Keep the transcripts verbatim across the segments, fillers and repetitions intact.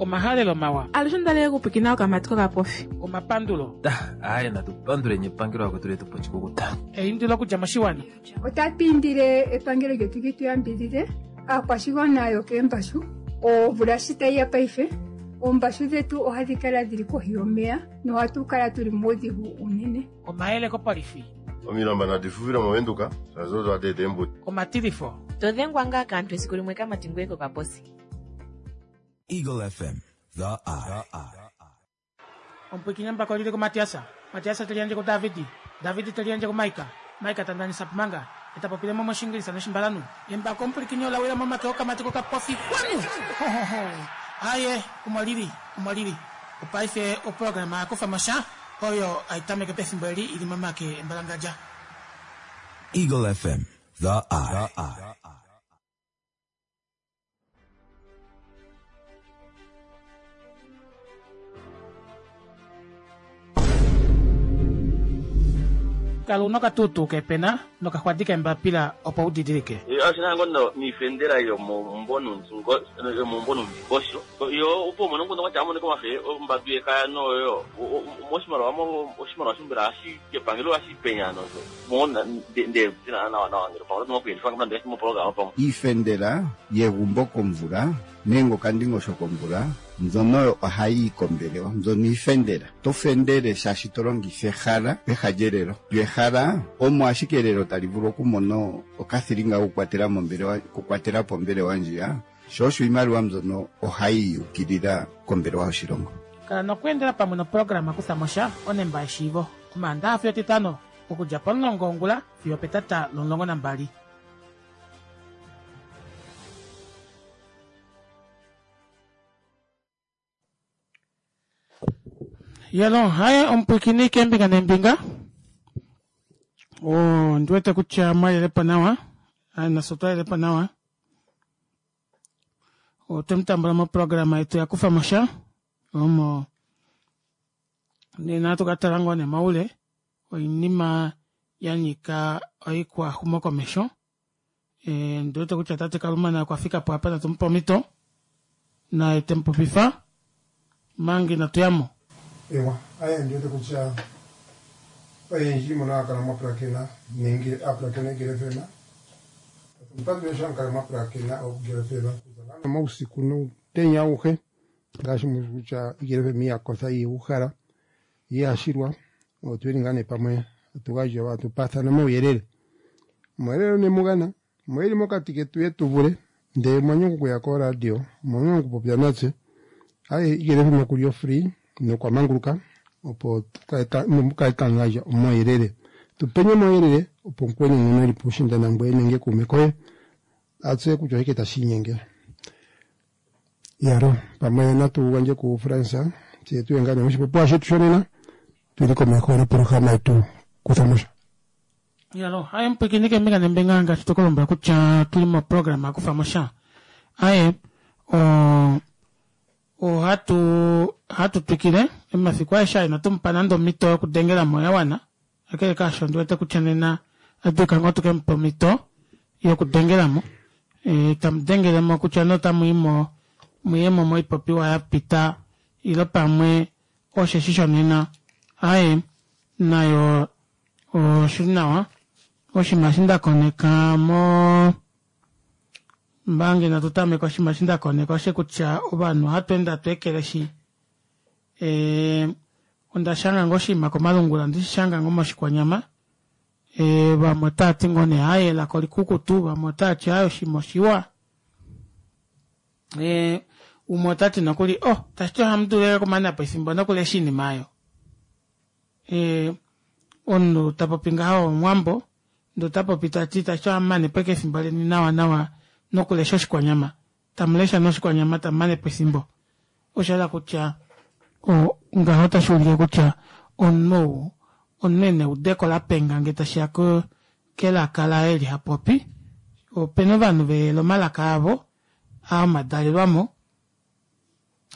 Omahalelo mawa. Alushe onda okupwikina okamati kokapofi. Omapandulo. Aye natu panduleni epangelo akwetu letu pochikukuta. Eindilo okudja moshiwana. Otatu indile epangelo lyetu li tu yambidhidhe aakwashigwana yokeembashu omvula shi tayi ya paife oombashu dhetu ohadhi kala dhili kohi yomeya nohatu kala tuli muudhigu unene. Omayele kopolifi. Omilamba nadi fufile movenduka shazo odo eembuti. Omatilifo. To dhengwa ngaa kaantu esiku limwe kamati ngoye kokaposi. Eagle F M, The Eye. Omupwikinyi embako lili kuMatiasa. Matiasa te liyandje kuDavidi. Davidi te liyandje kuMaika. Maika ta ndanisa Pumanga. Eta popile mo moshingilisa noshimbalanu. Embako omupwikinyi ola wila momake okamati kokapofi. Kwanu! Ho, ho, ho. Aye, omo lili, omo lili. Opaife oprograma ya kufa mosha oyo aitameke pefimbo eli ili momake embalangadja. Eagle F M, The Eye. The Eye. Kala una okatutu kepena nokaxwadi kembapila opo udidilike. Ashina ngono niifendela yomombonongosho yo opo mono ngono wacha amone komafe ombadu yekaya noyo moshimaliwa mo oshimaliwa shumbira ashi kepangelo ashi penya nozo mona nde tina nawa nawa ngero pangelo no kuyendifanga mnande mo program pamo iifendela yegumbo komvula nenge okandingosho komvula mbyono ohayi kombelewa mbyono iifendela to fendele shaashi to longitha ehala peha lyelelo lyo ehala omo ashike elelo tali vulu okumona okathilinga okukwatela mombelewa okukwatela pombelewa ndjiya sho osho iimaliwa mbyono ohayi ukilila kombelewa yoshilongo. Kala nokweendela pamwe noprograma kutha mosha onemba yeshiivo omaandaha fiyo etitano okudja pomulongo wongula fiyo petata lomulongo nambali. Yelo, haye omupwikini kembinga nembinga. Oh, ndiwete kutya mwalelepo nawa. Aye naso twalelepo nawa. Otwemutambula moprograma yetu ya kufa mosha. Omo nena tukatala ngoo nee moule oinima ya nyika oikwaxumokomesho. E, ndiwete kutya tate Kalumana okwa fika po apa natumupa omhito naye temupopifa manga inatu yamo. Ewa, aye ndiwete kutya oyendji mono akala mwapulakena nenge apulakena Eagle F M. Tumupandule sho amukala mwapulakena Eagle F M mausiku noutenya auhe ngaashi kutya Eagle F M iyakotha iyeuhala iyashilwa otuli ngaa nee pamwe atugandja atupathana omauyelele. Omauyelele nemugana mweli mokati ketu yetuvule ndee mwanyongo okuya koradio mwanyongo okupopya natse. Aye Eagle F M okuli ofree nokwamanguluka opo mukale tamugandja omauyelele tupenye omauyelele opo mukweni ngono eli puushinda nangweye nenge kuume koye atseye kutya oshike tashi inyenge. Yaro pamwe natu gandje ku France tse tuye ngaa nee moshipopiwa shetu shonena tuli komeho noprograma yetu kutha mosha. Yalo, aye mupwikini kembinga nembinga ngaashi tokolombwela kutya tuli moprograma ya kufa mosha. Aye o ohatu hatu twikile emafiku aeshe aa inatumupa nande omhito yokudengela mo ya wana. Kakele kaasho ndiwete kutya nena adulika ngoo tukemupa omhito yokudengela mo. E, tamudengele mo kutya notamu i mo muyemo moipopiwa ya pita ilo pamwe osheshi shonena. Aye nayo oshili nawa. Oshinima eshi nda koneka mo mbange natu tameka oshinima eshi nda koneka oshe kutya ovanhu ohatu ende hatu ekeleshi. E, onda shanga ngoo oshinima komalungula ndishishanga ngoo moshikwanyama. E, vamwe otavati ngoo nee aye elaka olikukutu, vamwe otavati aye oshinima oshiwa. E, umwe otati nokuli oh tashiti ohamu dulu okumana po efimbo nokulesha oinima aayo. E, omunhu tapopi ngaho omuwambo ndee otapopi tati tashiti ohamumane po ashike efimbo leni nawa nawa nokulesha oshikwanyama. Tamulesha noshikwanyama tamumane po efimbo. Osha hala kutya ngaho otashi ulike kutya omunhu omunhu ena eudeko lapenga ngee tashiya kelaka laye eli hapopi. Opena ovanhu veyele omalaka avo aa omadalelwamo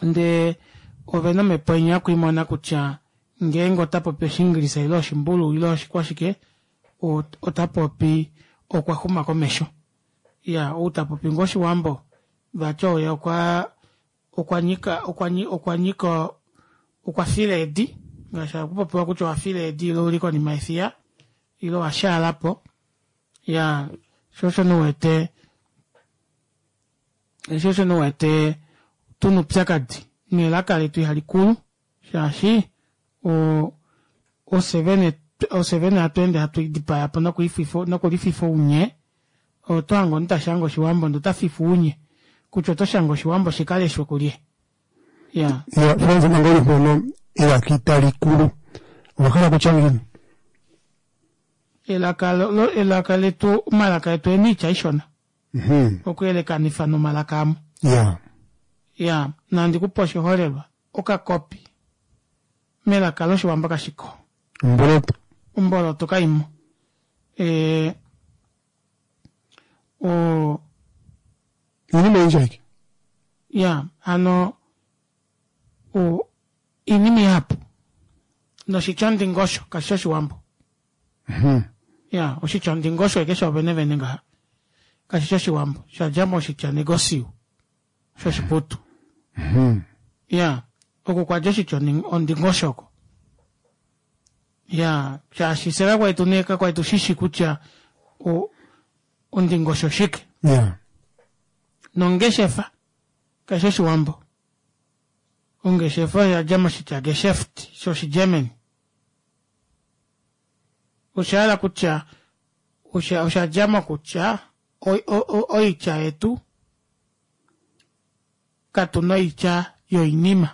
ndee ovena omhepo inya yokwiimona kutya ngeenge ota popi oshingilisa ile oshimbulu ile oshikwashike ota popi okwa xuma komesho. Iya, ou tapopi ngoo oshiwambo vati oye okwa okwa nyika okwa nyi- okwa nyika okwa fila eedi ngaashi hakupopiwa kutya owa fila eedi ile ouli konima yefiya ile owa shaalapo ya sho osho nee uwete sho osho nee uwete tuna oupyakadi nelaka letu ihalikulu shaashi oo ofye vene ofye vene hatweende hatu lidipayapo nokulififa ounye otohange omunhu tashange oshiwambo ndee otafifwa ounye kutya otoshange oshiwambo shikaleshwe kulye iya Ya, Frans manga uli mpono elaka itali kulu owahala kutya ngiini? Elaka lo- elaka letu omalaka etu ena oitya ishona Mhm. okuyelekanifa nomalaka amwe Ya. ya nandi kupe oshiholelwa okakopi melaka loshiwambo kashiko Omboloto. omboloto kaimo ee o Iinima oyindji ayike. ya hano o iinima ihapu noshitya ondingosho kashi shi oshiwambo Mhm. ya oshitya ondingosho eke shoovene vene ngaha kashi shi oshiwambo shadja moshitya negosiu shoshiputu Mhm. ya oko kwadja oshitya ondi- ondingosho oko ya shaashi fye kakwali tuna kakwali tushishi kutya o- ondingosho oshike Ya. nongeshefa kashi oshiwambo ongeshefa oyadja moshitya geschäft shoshigermany oshahala kutya osha oshadja mokutya o- o- o- oitya yetu katuna oitya yoinima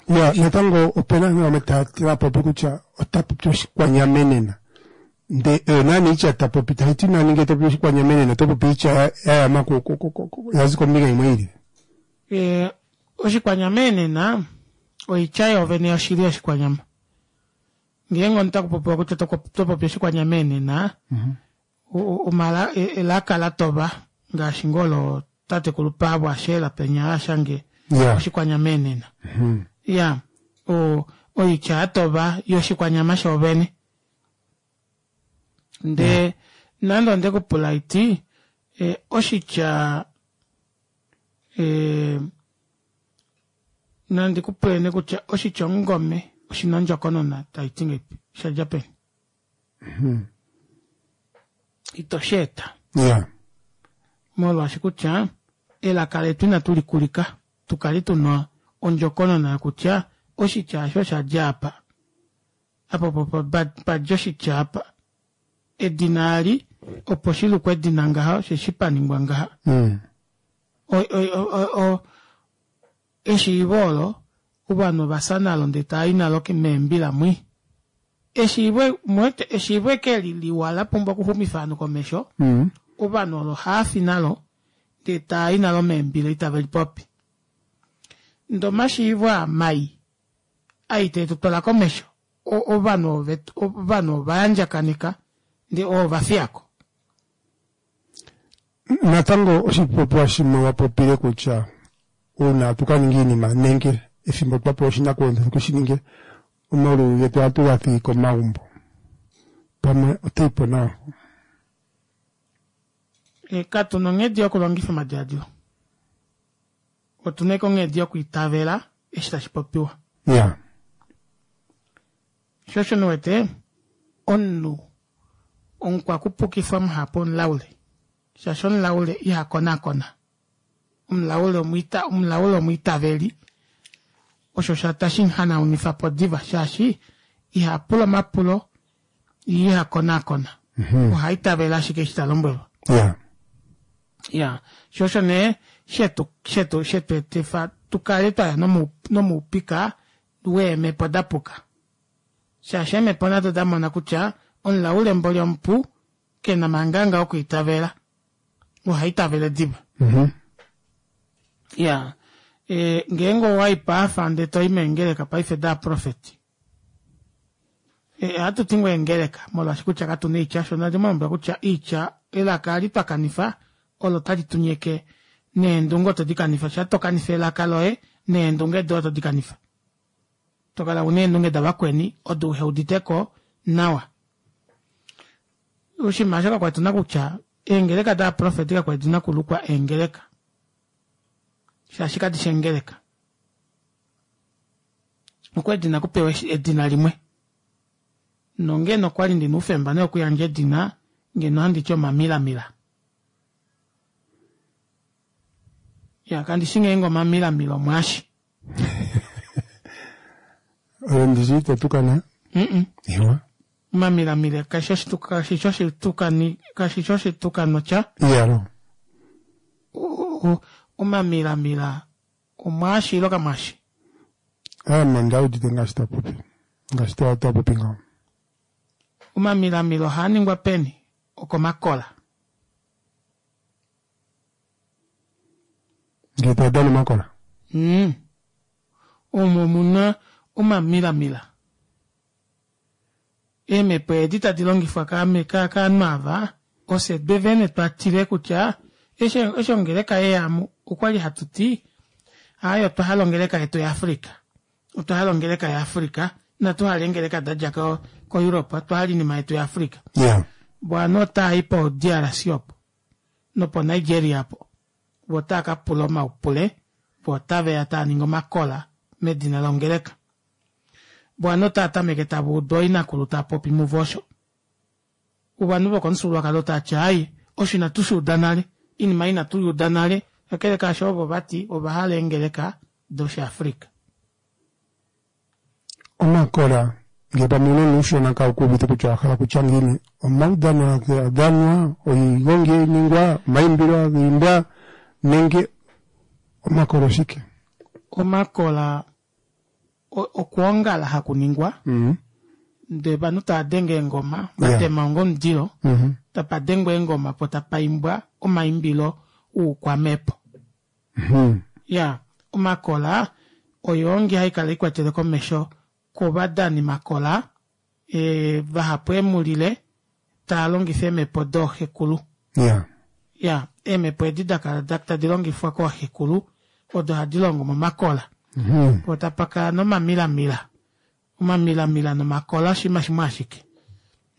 Ya, natango opena aantu yamwe taya taya popi kutya ota popi oshikwanyamenena. Nde oyo naana iitya ta popi tayi ti nani ngele to popi oshikwanyamenena oto popi iitya ya- ya yama ku- ku- ku- ku- ku- ya zi kombinga yimwe yili. e, oshikwanyama enena oitya yoovene yoshili yoshikwanyama ngeenge omuntu takupopiwa kutya toko- topopi oshikwanyama enena o- o- omala e- elaka latoba ngaashi ngoo lo tatekulu Paavo Asheela penya ashange Ya. oshikwanyama enena Mhm. ya o oitya yatoba yoshikwanyama shoovene ndee nande ondekupula iti e, oshitya e, nandi kupule nee kutya oshitya omungome oshina ondjokonona taiti ngeipi shadja peni Mhm. ito sheeta Ya. molwaashi kutya elaka letu inatu likulika tukale tuna ondjokonona yokutya oshitya osho oshadja apa apa opo pa- padja oshitya apa edina ali opo shilukwe edina ngaha osheshi paningwa ngaha Mm. O- o- o- o- o- eshiivo olo ovanhu ovafya nalo ndee taayi nalo meembila mwi eshiivo muwete eshiivo eke liliwa lapumbwa okuxumifa ovanhu komesho Mm. ovanhu olo haafi nalo ndee taayi nalo meembila itave lipopi ndee omashiivo aa mai ai tetu twala komesho o- ovanhu ove- ovanhu ovayandjakaneka ndee oo vafiyako Natango oshipopiwa shimwe wa popile kutya uuna tuka ninga iinima nenge ethimbo twa pewa oshinakugwanithwa tuke shi ninge omaulu getu ohatu ga thigi komagumbo. Pamwe otayi po nawa. E, katuna onghedi yokulongifa omadiladilo otuna ashike onghedi yokwiitavela eshi tashi popiwa Ya. sho osho niwete omunhu omukwakupukifwa muhapu omulaule shaashi omulaule ihakonakona omulaule omwiita omulaule omwiitaveli osho sha tashi muhanaunifapo diva shaashi ihapula omapulo ye ihakonakona Mhm. ohaitavele ashike eshi talombwelwa Ya. ya sho osho nee shetu shetu shetu etifa tukale twaya nomu- nomoupika weemhepo dapuka shaashi eemhepo nado damona kutya omulaule mboli omupu kena manganga okwiitavela ohaitavele diva Mhm. ya e, ngeenge owai paafa ndee toi meengeleka paife daaprofeti e, ohatu ti ngoo eengeleka molwaashi kutya katuna oitya sho nandi mulombwela kutya oitya elaka ali twakanifa olo tali tunyeke neendunge oto dikanifa sha tokanifa elaka loye neendunge doye oto dikanifa tokala una eendunge davakweni odo uheuditeko nawa oshinima osho kakwali tuna kutya eengeleka daaprofeti kakwali dina okulukwa eengeleka Shaashi kadi shi eengeleka. Okwali dina okupewa edina limwe. Nongeno okwali ndina oufemba nee okuyandja edina ngeno ohandi ti omamilamila. Ya kandi shi ngeenge omamilamila omwaashi. Oyo ndishi ito tukana? Mm-mm. Iwa. Omamilamila kashi oshituka kashi shi oshitukani kashi shi oshitukano tya. Iyalo. Omamilamila omwaashi ile kamwaashi? Ame onda udite ngaashi ta popi. Ngaashi ta ta popi ngaho. Omamilamila ohaa ningwa peni? Okomakola. Ngee ta dana omakola. Mm. Omo muna omamilamila. Eemhepo edi tadi longifwa kaanhu ava, ofye vene twa tile kutya eshi eshi ongeleka yeya mu okwali hatu ti aaye otwa hala ongeleka yetu yaAfrica. Otwa hala ongeleka yaAfrica, inatu hala eengeleka da dja ko koEurope, otwa hala oinima yetu yaAfrica. Yeah. Vo ovanhu otava i po D R C opo nopo Nigeria opo. Vo otava ka pula omaupule, vo otave ya tava ningi omakola medina longeleka. Vo ovanhu otava tameke tava udu ooinakulu tava popi muvo osho. Ovanhu vokomufyuululwakalo otava ti ai, osho inatu shi uda nale, oinima ei inatu i uda nale, kakele kaasho ovo vati ova hala eengeleka dOshiafrika. Omakola ngee pamwe ounona uushona kaukuuvite kutya owa hala okutya ngiini, omaudhano haga dhanwa, oigongi hayi ningwa, omaimbilo haga imbwa nenge omakola oshike? Omakola okwoongala haku ningwa ndee ovanhu tava denge eengoma vatema onga omundilo tapa dengwa eengoma po tapa imbwa omaimbilo oukwamhepo. Ya omakola oyoongi haikala ikwatele komesho kovadani makola e, vahapu emulile taa longifa eemhepo dooxekulu. Yeah. Ya eemhepo edi da kala tadi longifwa kooxekulu odo hadi longo momakola. Mm-hmm. Po tapa kala nomamilamila. Omamilamila nomakola oshinima shimwe ashike.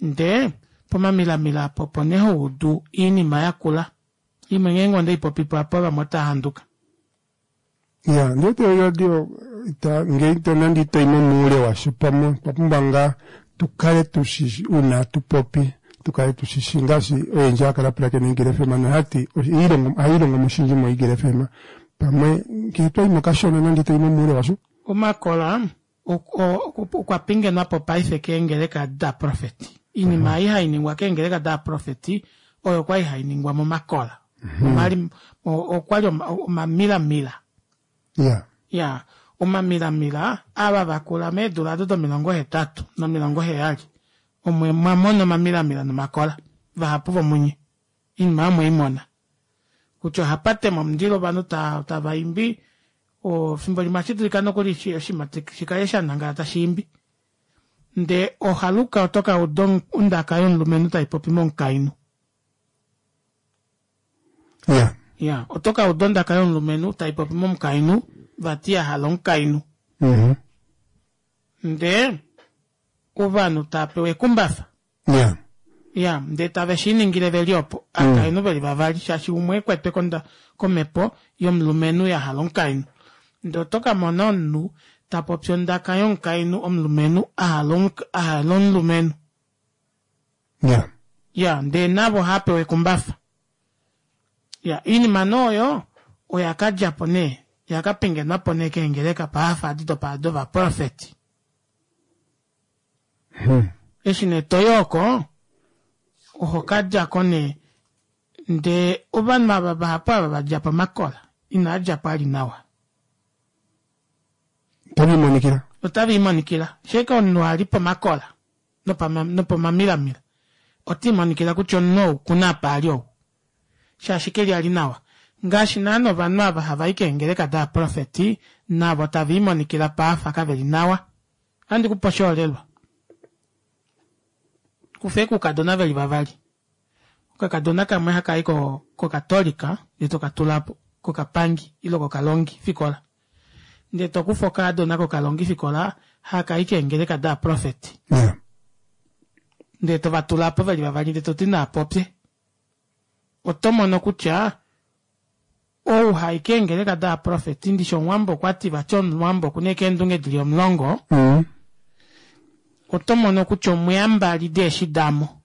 Ndee pomamilamila apo opo nee ho udu oinima yakula. Imwe ngeenge onde i popipo apa vamwe otava handuka. Ya, ndiwete oradio ita ngee ito nande ito i momuule washo pamwe otwa pumbwa ngaa tu kale tushishi uuna hatu popi tu kale tushishi ngaashi oyendji haya kala pulakena Eagle F M nohayati ohayi ilongo mo oshindji mo Eagle F M pamwe ngee twayi mo kashona nande itoyi momuule washo. Omakola okwa pingenwa po paife keengeleka daprofeti. Oinima ei hai ningwa keengeleka daprofeti oyo kwali hai ningwa momakola. Omali okwali omamilamila. Yeah. Ya, omamilamila ava vakula meedula ado domilongo hetatu nomilongo heyali omwe mwa mona omamilamila nomakola vahapu vomunye oinima oyo mweimona kutya ohapa tema omundilo ovanhu tava imbi fimbo limwe ohashi dulika nokuli oshinima shikale sha nangala tashi imbi ndee ohaluka oto ka uda ondaka yomulumenhu tai popi momukainhu. Yeah. Ya, oto ka uda ondaka yomulumenhu tai popi momukainhu vati ya hala omukainhu. Mm-hmm. Ndee ovanhu tava pewa ekumbafa. Yeah. Ya, ndee tave shi ningile veli opo akainhu veli vavali shaashi umwe ekwetwe konda komhepo yomulumenhu ya hala omukainhu. Ndee oto ka mona omunhu ta popi ondaka yomukainhu omulumenhu a hala a hala omulumenhu. Yeah. Ya, ndee navo ohava pewa ekumbafa. Ya, oinima nee oyo oya ka dja po nee, ya ka pingenwa po nee keengeleka paafa adi dopa dovaprofeti. Hmm. Eshi nee toyi oko, oho ka dja ko nee ndee ovanhu ava vahapu ava va dja pomakola inaa dja po ali nawa. Otave imonikila. Otave imonikila. Sheke omunhu ali pomakola nopomamilamila ota imonikila kutya omunhu ou okuna apa ali ou. Shaashi keli ali nawa. Ngaashi naana ovanhu ava hava i keengeleka daaprofeti navo tava imonikila paafa kave li nawa. Ohandi kupe oshiholelwa. Kufa oukadona veli vavali. Okakadona kamwe haka i kokatolika ndee toka tula kokapangi ile kokalongi fikola. Ndee tokufa okaadona kokalongi fikola haka i keengeleka daaprofeti. Yeah. Ndee tova tula po veli vavali ndee toti naapopye. Oto mono kutya ou Ou hai keengeleka daaprofeti ndishi omuwambo okwati vati omuwambo okuna ashike eendunge dili omulongo Mm. Oto mono kutya omweya mbali deeshi damo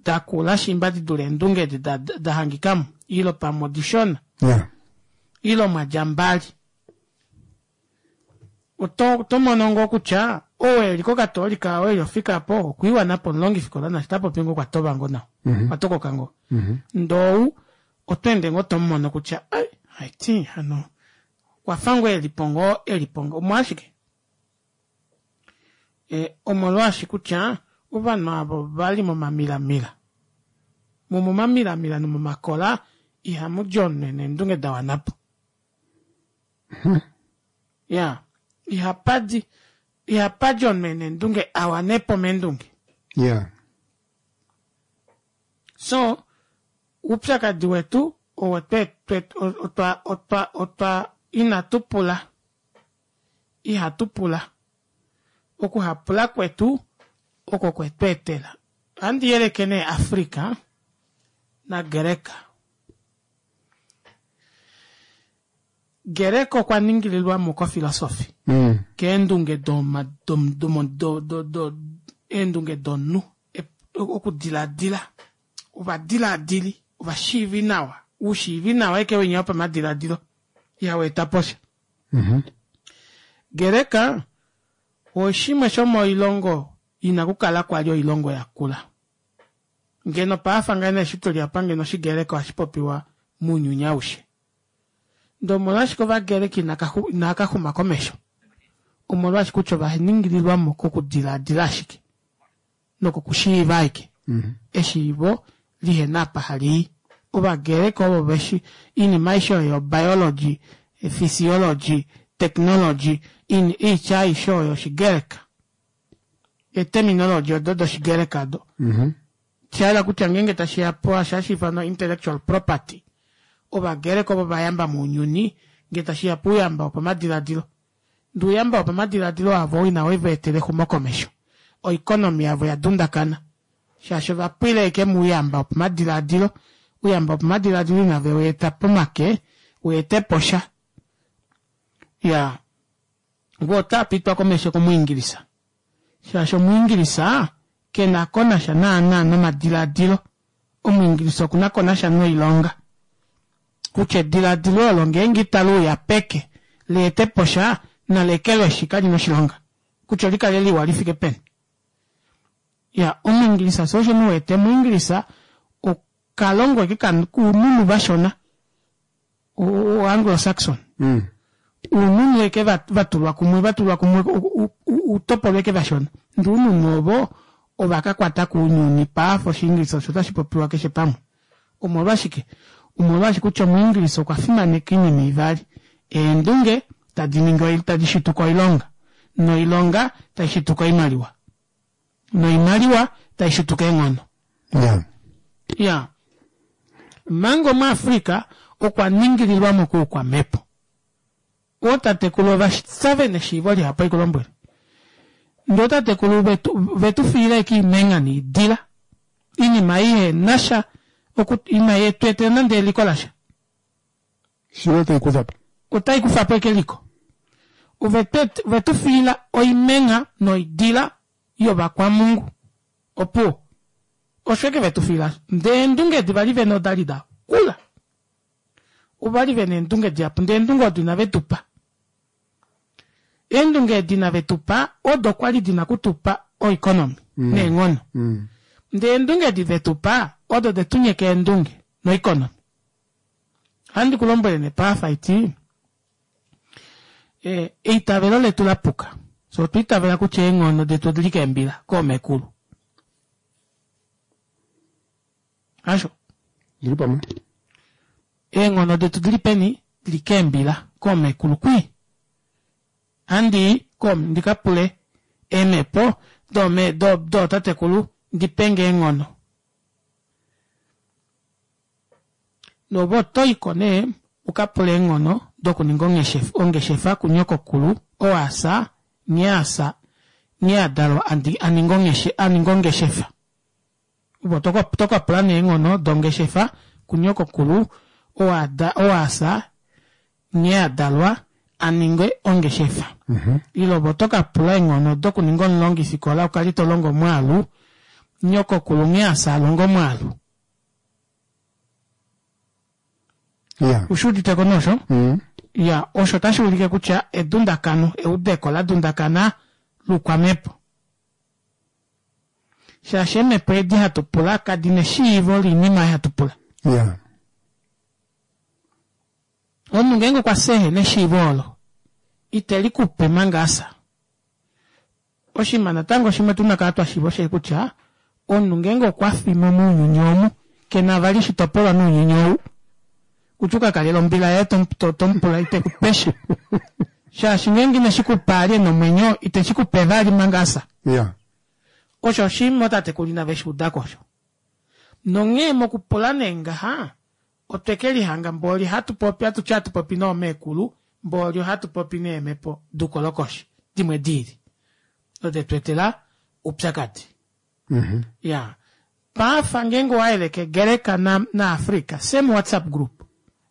dakula shimba didule eendunge edi da- da- dahangikamo ile pamwe odishona Yeah. ile mwadja mbali. Oto oto mono ngoo kutya ou eli kokatoolika ou eli ofika po okwiiwanapo omulongifikola naashi tapopi ngoo okwatoba ngoo nawa Mhm. okwatokoka ngoo. Mhm. Ndou oto ende ngoo tomumono kutya ai haiti hano okwafa ngoo elipo ngoo elipo ngoo omolwashike? E, omolwaashi kutya ovanhu avo vali momamilamila momomamilamila nomomakola ihamudi omunhu ena eendunge dawanapo. Ya ihapadi ihapadi omunhu ena eendunge awanepo meendunge. Yeah. So oupyakadi wetu owo twe twe otwa otwa otwa inatu pula ihatu pula okuhapula kwetu oko kwetu etela. Ohandi yeleke nee Africa naGreka. Greka okwa ningililwamo kofilosofi Mm. keendunge doma dom domo do do do eendunge domunhu Ep- okudiladila ovadiladili ovashiivi nawa ushiivi nawa eke winya wopamadiladilo ihaweeta posha. Mhm. Greka oshimwe shomoilongo ina kukala kwali oilongo yakula. Ngeno paafa ngeno eshi tuli apa ngeno oshigereka ohashi popiwa mounyuni aushe. Ndee omolwashike ovagereka inakaxu- inakaxuma komesho? Omolwaashi kutya ovaningililwamo kokudiladila ashike nokokushiiva ashike. Mhm. Eshiivo lihena apa halii. Ovagereka ovo veshi oinima aishe oyo biology, physiology, technology, in- oitya aishe oyo oshigereka. Eterminology odo doshigereka odo. Mhm. Shayela kutya ngeenge tashiya po hashi ifanwa intellectual property. Ovagereka ovo vayamba mounyuni ngee tashiya pouyamba wopamadiladilo. Ndee ouyamba wopamadiladilo avo ina wevaetela exumokomesho. Oeconomy yavo yadundakana. Shaashi ovapwila ashike mouyamba wopamadiladilo. Ouyamba wopamadiladilo ina veweeta pomake weetepo sha. Ya voo otaapitwa komesho komuingilisa. Shaashi omuingilisa kena konasha naana nomadiladilo. Omuingilisa okuna konasha noilonga. Kutya ediladilo olo ngeenge itali uya peke leetepo sha nalekelweshi kalina oshilonga. Kutya olikale liwa lifike peni. Ya omuingilisa soo osho nuwete omuingilisa okalongo eke kuununu vashona o Anglo Saxon. Mm. Uununu eke vatulwa kumwe vatulwa kumwe utopolwa eke vashona. Ndee oununu ovo ovakakwata kounyuni paafa oshiingilisa osho tashi popiwa keshe pamwe. Omolwashike? Omolwaashi kutya omuingilisa okwa fimaneka oinima ivali. Eendunge tadi ningi tadi shituka oilonga noilonga tai shituka oimaliwa. Noimaliwa tai shituka eenghono. Yeah. Ya. Manga omuAfrika okwa ningililwamo koukwamhepo. Ootatekulu ovasave neshiivo lihapu haikulombwele. Ndee ootatekulu vetu vetufiila ashike oimengha noidila. Oinima ei ihenasha oku ina yetu nande eliko lasha. Shilo otai kufapo. Otai kufapo ashike eliko. Ovetu ovetufiila oimengha noidila yovakwamungu. Opuwo. Osho ashike vetufiila. Ndee eendunge edi vali vena odali dakula. Ovali vena eendunge dihapu ndee eendunge odo inave tupa. Eendunge edi inave tupa odo kwali dina okutupa oeconomy Mm. neenghono. Mm. Ndee eendunge edi vetupa odo detunyeka eendunge noeconomy. Ohandi kulombwele nee paafa iti e, eitavelo letu lapuka. So otwa itavela kutya eenghono detu odili keembila koomekulu. Hasho? Ndili pamwe. Eenghono detu dili peni? Dili keembila koomekulu kwii. Handii kom ndikapule eemhepo dome do dootatekulu ndipenge eenghono. Nove otoiko nee ukapule eenghono dokuninga ongeshefa ongeshefa kunyokokulu oo asa nghee asa nghee adalwa aninga ongeshe aninga ongeshefa. Ove otokapula nee eenghono dongeshefa kunyokokulu oo ada oo asa Nghee adalwa aninge ongeshefa. Ile ove oto kapula eenghono dokuninga omulongifikola ukale tolongo omwaalu, nyokokulu nghee asa alonga omwaalu. Yeah. Ushuuditeko nee osho? Ya, osho otashuulike kutya edundakano, eudeko ladundakana loukwamhepo. Shaashi eemhepo edi hatu pula kadina eshiivo loinima ei hatu pula. Yeah. Omunhu ngeenge okwa fya ehena eshiivo olo, ite likupe manga asa. Oshinima natango shimwe tuna okukala twashiiva osheshi kutya omunhu ngeenge okwafi mo mounyuni omu kena vali oshitopolwa mounyuni ou kutya ukakalele ombila yaye tomupula itekupesha shaashi ngeenge ineshikupa ali ena omwenyo iteshikupe vali manga asa. Yeah. Osho oshinima ootatekulu inave shuudako osho. Nonghee mokupula nee ngaha otwe kelihanga mboli hatupopi hatuti hatupopi noomekulu mboli ohatupopi neemhepo doukolokoshi dimwe diili odo detweetela oupyakadi. Iyaa paafa ngeenge owayeleke Gereka na na Africa same WhatsApp group.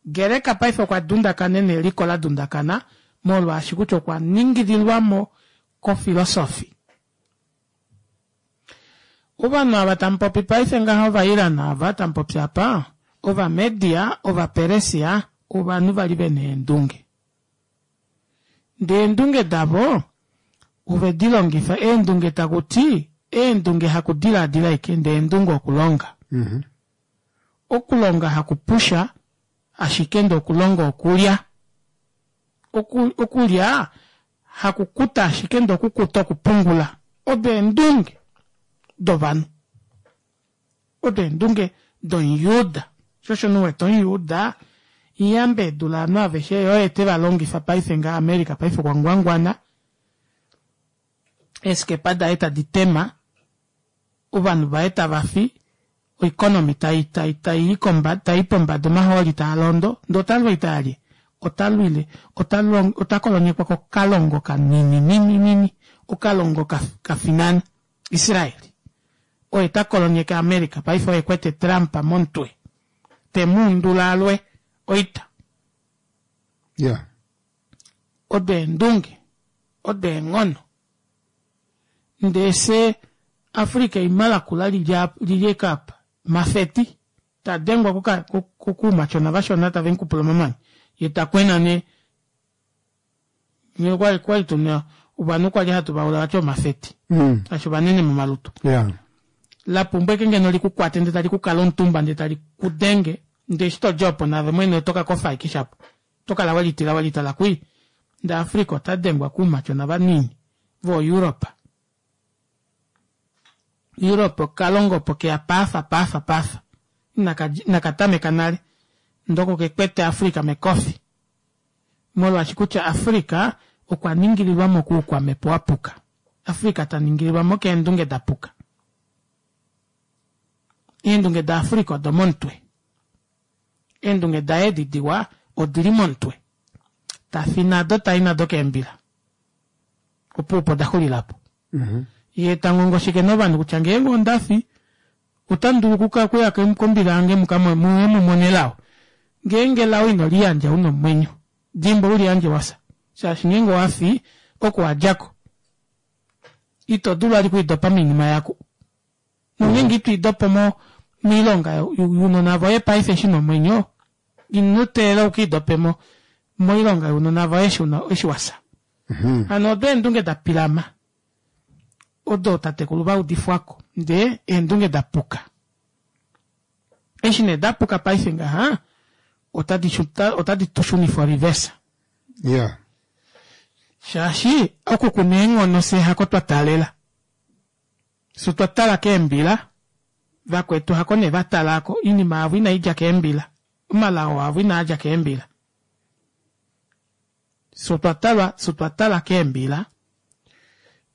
Gereka paife okwa dundakana ena eliko ladundakana molwaashi kutya okwa ningililwamo kofilosofi. Ovanhu ava tamupopi paife ngaha ova Iran ava tamupopi apa, ova Media, ova Peresia, ovanhu vali vena eendunge. Ndee eendunge davo ovedilongifa, eendunge takuti eendunge hakudilaadila ashike ndee eendunge okulonga. Okulonga hakupusha ashike ndee okulonga okulya. Oku okulya hakukuta ashike ndee okukuta okupungula. Odo eendunge dovanhu. Odo eendunge domujuda. Sho osho nee uwete omujuda iyamba edula ovanhu aveshe yee oye tevalongifa paife ngaha America paife okwa ngwangwana eeskepa daye tadi tema ovanhu vaye tavafi oeconomy tai tai tai tai pombada omahooli taalondo ndee otalwa oita yalye otalwile otakolonyekwa kokalongo kanini nini nini okalongo kafinana Israel oye takolonyeke America paife oye ekwete Trump momutwe temuundula alwe oita. Yeah. Odo eendunge, odo eenghono. Ndee fye Africa eima lakula lili ashike apa, mafeti tadengwa koumatyona vashona tave mukupula omamanya yee takwena nee. Nghee okwali tuna ovanhu kwali hatu vaula vati omafeti shaashi ovanene momalutu. Yeah. Lapumbwa ashike ngeno likukwate ndee tali kukala omutumba ndee tali kudenge ndee eshi todi opo naave mwene oto kakofa ashike shapo. Oto kala welitila welitala kwii. Ndee Africa ota dengwa koumatyona vanini vo Europe. Europe okalongo opo keya paafa paafa paafa. Inakatameka nale. Ndee oko kekwete Africa mekofi. Molwaashi kutya Africa okwa ningililwamo koukwamhepo wapuka. Africa taningililwamo keendunge dapuka. Eendunge da Africa odo momutwe. Eendunge daye edi diwa odili momutwe. Tafi nado tai nado keembila. Opuwo opo odaxulilapo. Yee tangongoshike nee ovanhu kutya ngeenge ondafi otamu dulu okuya kombila yange muye mumone elao. Ngeenge elao ino liyandja una omwenyo, dimbwa uliyandje wafya. Shaashi ngeenge owafi, oko wadjako. Ito dulu vali okwiidopa moinima yako. Nongeenge ito idopo mo moilonga younona voye paife eshi una omwenyo, ino teelela ukiidopemo moilonga younona voye eshi wafya. Hano odo eendunge dapilama odo tatekulu vaudifwako ndee eendunge dapuka. Eshi nee dapuka paife ngaha otadi tushunifa reverse. Yeah. Shaashi oku kuna eenghono fyee hako twa taalela. Fyee otwa tala keembila, vakwetu hako nee vatalako, oinima yavo inaidja keembila, omalao avo inaadja keembila. Fyee otwa talwa, fyee otwa tala keembila,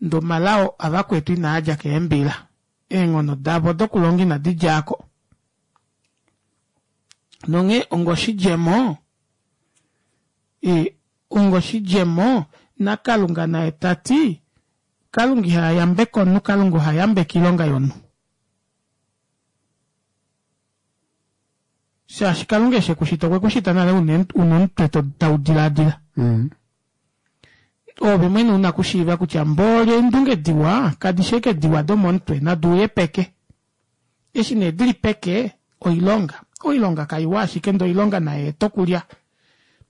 ndee omalao avakwetu inaadja keembila. Eenghono davo dokulonga inadi djaako. Nonghee onga oshidjemo, onga oshidjemo naKalunga naye tati Kalunga iha yambeke omunhu, Kalunga oha yambeke oilonga yomunhu. Shaashi Kalunga eshi ekushita okwe kushita nale una omutwe taudilaadila. Ove mwene una kushiiva kutya mbooli eendunge diwa kadishi ashike diwa domomutwe nadi uye peke. Eshi nee dili peke oilonga. Oilonga kaiwa ashike ndee oilonga nayeete okulya.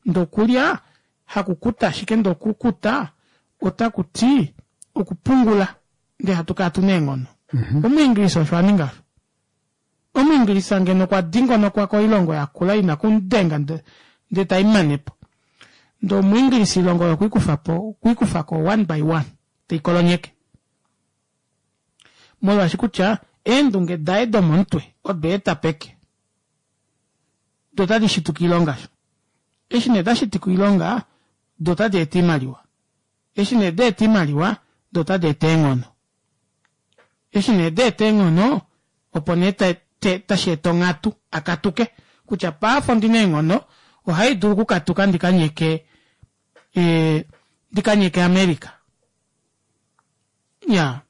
Ndee okulya hakukuta ashike ndee okukuta otakuti okupungula ndee hatu kala tuna eenghono. Omuingilisa osho aninga osho. Omuingilisa ngeno okwa dingonokwa koilongo yakula ina kumudenga ndee taimanepo. Ndee omuingilisa oilongo oyo okweikufapo okweikufako one by one teikolonyeke. Molwaashi kutya eendunge daye domomutwe odeeta peke. Doo otadi shituka oilonga eshi nee dashitika oilonga doo otadi eta oimaliwa. Eshi nee daeta oimaliwa doo otadi eta eenghono. Eshi nee daeta eenghono opo nee tasheeta onghatu akatuke kutya paife ondina eenghono ohaidulu okukatuka ndikanyeke ee ndikanyeke America. Iyaa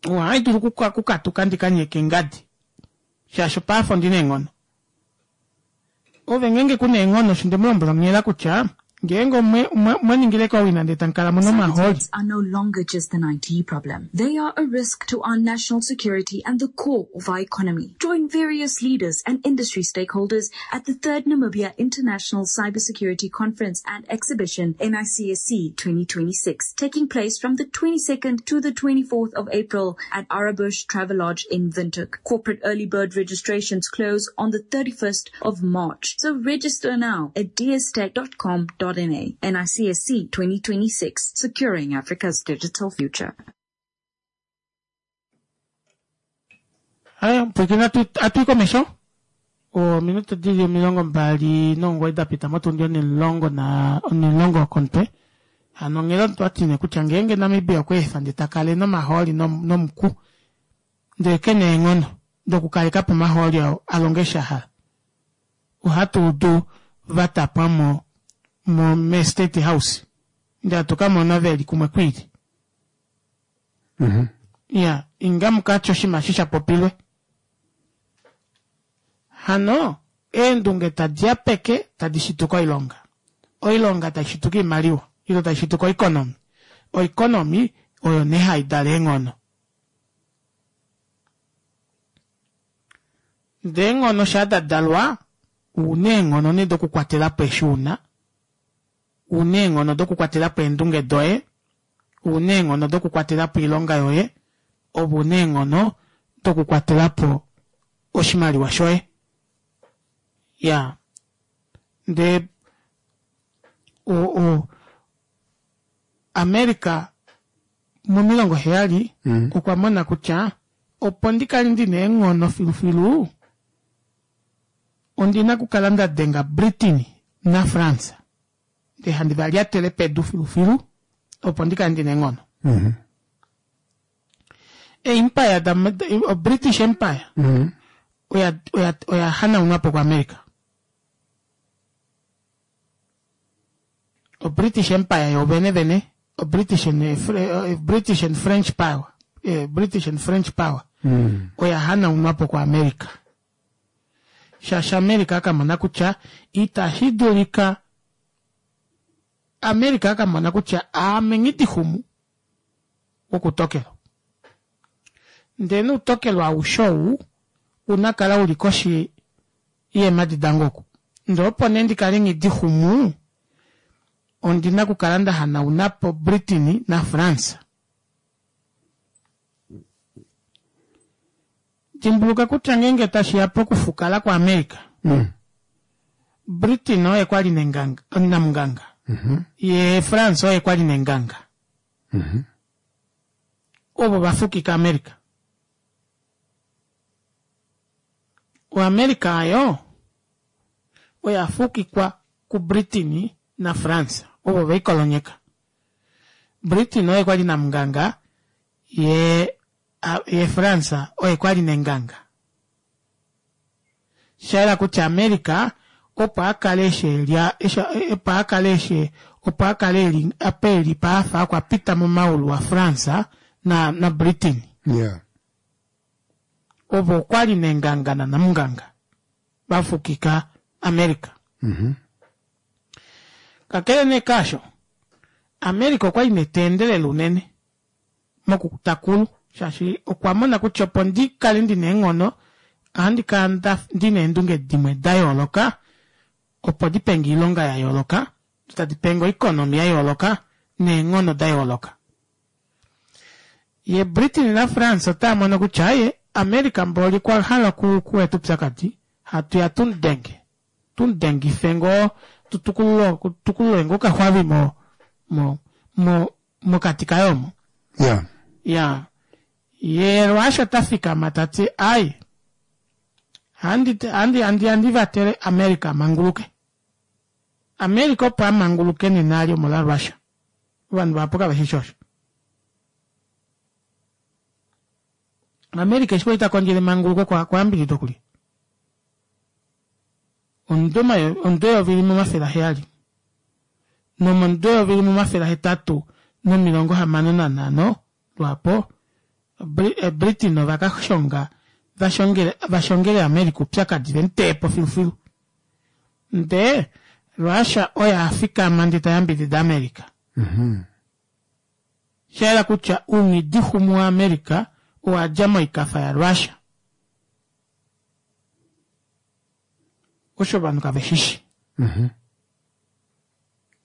ohaidulu okukatuka ndikanyeke ngadi shaashi paife ondina eenghono. Ove ngeenge kuna eenghono osho ndemulombwela onghela kutya ngeenge mwaningileko owina ndee tamukala muna omahooli. Are no longer just an I T problem. They are a risk to our national security and the core of our economy. Join various leaders and industry stakeholders at the third Namibia International Cybersecurity Conference and Exhibition, N I C S C twenty twenty-six, taking place from the twenty-second to the twenty-fourth of April at Arabush Travelodge in Windhoek. Corporate early bird registrations close on the thirty-first of March. So register now at d s tech dot com dot na. N I C S C twenty twenty-six, securing Africa's digital future. Haya, pwiikina atui komesho ominute dili omilongo mbali nomugoyi dapita motundi onimulongo na onimulongo wokomutwe. Hano onghela otwatine kutya ngeenge Namibia okweefa ndee takale nomahooli nomuku ndee kena eenghono dokukalekapo omahooli oo alonge eshi ahala, ohatuudu vatapwamo mo me state house ndee hatukamona veli kumwe kwiili. Iya, inga mukatye oshinima eshi shapopilwe. Hano eendunge tadiya peke tadi shituka oilonga. Oilonga taishituka oimaliwa ile taishituka oeconomy. Oeconomy oyo nee haidala eenghono. Ndee eenghono shaa dadalwa una eenghono nee dokukwatelapo eshi una, una eenghono dokukwatelapo eendunge doye, una eenghono dokukwatelapo oilonga yoye, ove una eenghono dokukwatelapo oshimaliwa shoye. Iyaa, ndee o America momilongo heyali okwa mona kutya opo ndikale ndina eenghono filufilu ondina okukala ndadenga Britain naFrance ndee handi valyatele pedu filufilu opo ndikale ndina eenghono. Empire da British Empire oya oya oya hanaunwapo kuAmerica. O British Empire yovene vene, o British and, British and French power, British and French power oya hanaunwapo kuAmerica. Shaashi America akamona kutya itashi dulika, America akamona kutya aame nghidixumu wokutokelo. Ndee noutokelo aushe ou unakala uli koshi yeemadi dange oku. Ndee opo nee ndikale nghidixumu ondina okukala ndahanaunapo Britain naFrance. Dimbuluka kutya ngeenge tashiya pokufukala kwaAmerica, Britain oye kwali nenganga, namunganga, yee France oye kwali nenganga. Ovo vafukika America. OAmerica ayo oya fukikwa kuBritain naFrance, ovo veikolonyeka. Britain oye kwali namunganga, yee ye France oye kwali nenganga. Shayela kutya America opo akale eshi elya opo akale eshi opo akale eli apa eli paafa okwa pita momaulu aFrance na na Britain. Yeah. Ovo okwali nenganga nanamunganga. Vafukika America. Kakele nee kaasho, America okwali nee taendelele unene mokutakulu shaashi okwa mona kutya opo ndikale ndina eenghono ohandi kala ndina eendunge dimwe dayooloka opo dipenge oilonga yayooloka tadipenge oeconomy yayooloka neenghono dayooloka. Ye Britain naFrance otaamono kutya aaye America mboli okwa hala okueta oupyakadi hatuya tumudenge tumudengife ngoo tutukulule ngoo okaxwavi mo mo mo mokati kaye omo. Yeah. Ya yee Russia otafikama tati ai handi handi handi handi vatele America amanguluke. America opo amanguluke nena ali omolwa Russia. Ovanhu vahapu kaveshi osho. America eshi kwali takondjele emanguluko okwa yambididwa kulye? Omudo eyovi limwe omafele aheyali nomomudo eyovi limwe omafele ahetatu nomilongo hamano nanhano lwaapo Britain ovakashonga vashongele America oupyakadi vemuteepo filufilu ndee Russia oye afikama ndee tayambidida America. Shayela kutya ounghidixumu waAmerica owadja moikafa yaRussia. Osho ovanhu kaveshishi.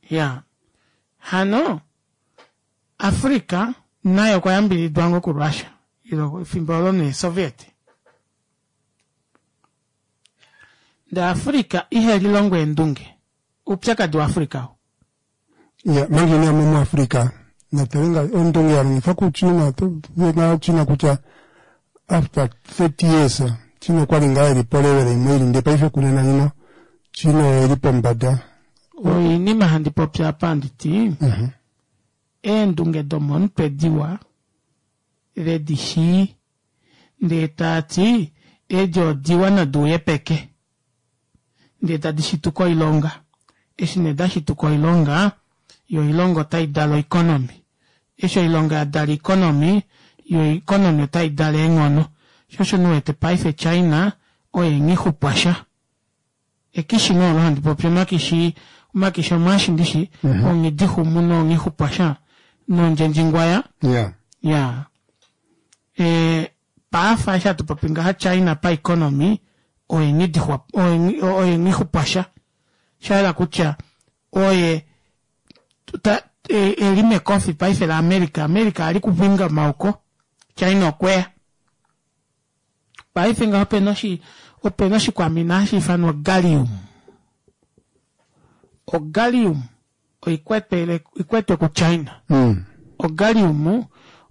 Ya hano Africa naye okwa yambididwa ngoo kuRussia ilo efimbo olo nee Soviet. Ndee Africa ihelilongo eendunge. Oupyakadi waAfrica oo. Ya, manje ine amo muAfrica natalenga ondunge yalongifwa kuChina na China kutya after thirty years China okwali ngaa eli polevela imwe ili ndee paife kunena ino China eli pombada. Oinima handi popi apa handiti eendunge domomutwe diwa vedi shii ndee taati edi odiwa nadi uye peke ndee tadi shituka oilonga. Eshi nee dashituka oilonga yo oilonga otai dala oeconomy. Eshi oilonga yadala economy yo economy otai dala eenghono. Shoo osho uwete paife China oye nghixupwasha. Ekishi nee olo handi popi omakishi omakishi omwaashi ndishi onghidixumu nonghixupwasha nondjendjingwaya. Yeah. Ya. E, paafa eshi hatu popi ngaha China pa economy oye oye nghixupwasha. Shayela kutya oye ta, e, eli mekofi paife la America. America ali kuvinga omauko China okweya. Paife ngaho opena oshi opena oshikwamina hashi ifanwa gallium. Ogallium oikwetwe oikwetwe kuChina. Mm. Ogallium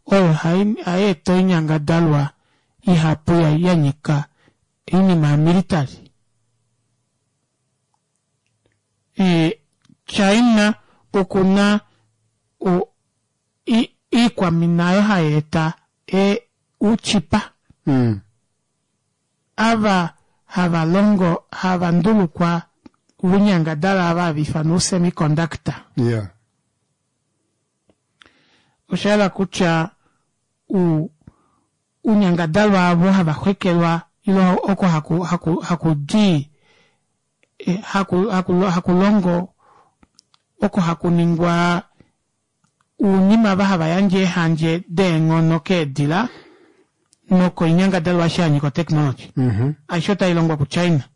oyo hai eta oinyangadalwa ihapu yanyika oinima yamilitary. E, China okuna o, i, iikwamina oyo hai eta e, ouchipa. Mm. Ava hava longo hava ndulukwa ounyangadalwa ava hava ifanwa ousemiconductor. Yeah. Oshayela kutya u unyangadalwa avo hava xwekelwa ilo oko haku haku haku di haku haku hakulongo oko hakuningwa ounima ava hava yandje eehandje deenghono keedila nokoinyangadalwa aishe yanyika otechnology. Mm-hmm. Aishe otailongwa kuChina.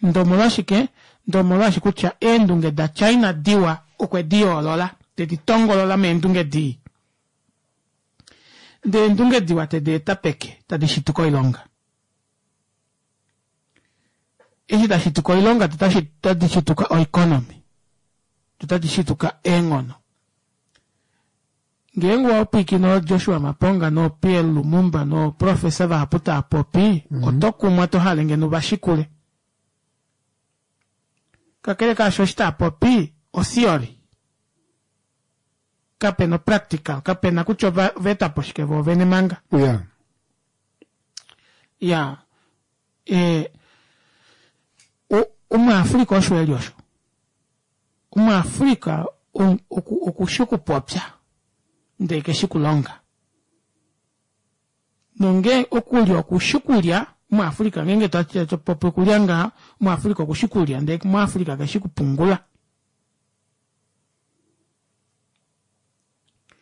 Ndee omolwashike? Ndee omolwaashi kutya eendunge daChina diwa okwe di yoolola tedi tongolola meendunge dii. Ndee eendunge diwa tedi eta peke tadi shituka oilonga. Eshi tashituka oilonga tadi shituka oeconomy. Tadi shituka eenghono. Ngeenge owapwiikine Joshua Maponga no P L Lumumba no professor vahapu tava popi, oto kumwa to hale ngeno vashikule. Kakele kaasho eshi tava popi otheory. Kapena practical, kapena kutya ova etapo shike vo vene manga. Yeah. Ya. E, omuAfrika osho eli osho. OmuAfrika okushi okupopya ndee keshi kulonga. Nonge okulya okushi kulya Omuafrika ngeenge tatu popi okulya ngaha, Omuafrika okushi kulya ndee Omuafrika keshi kupungula.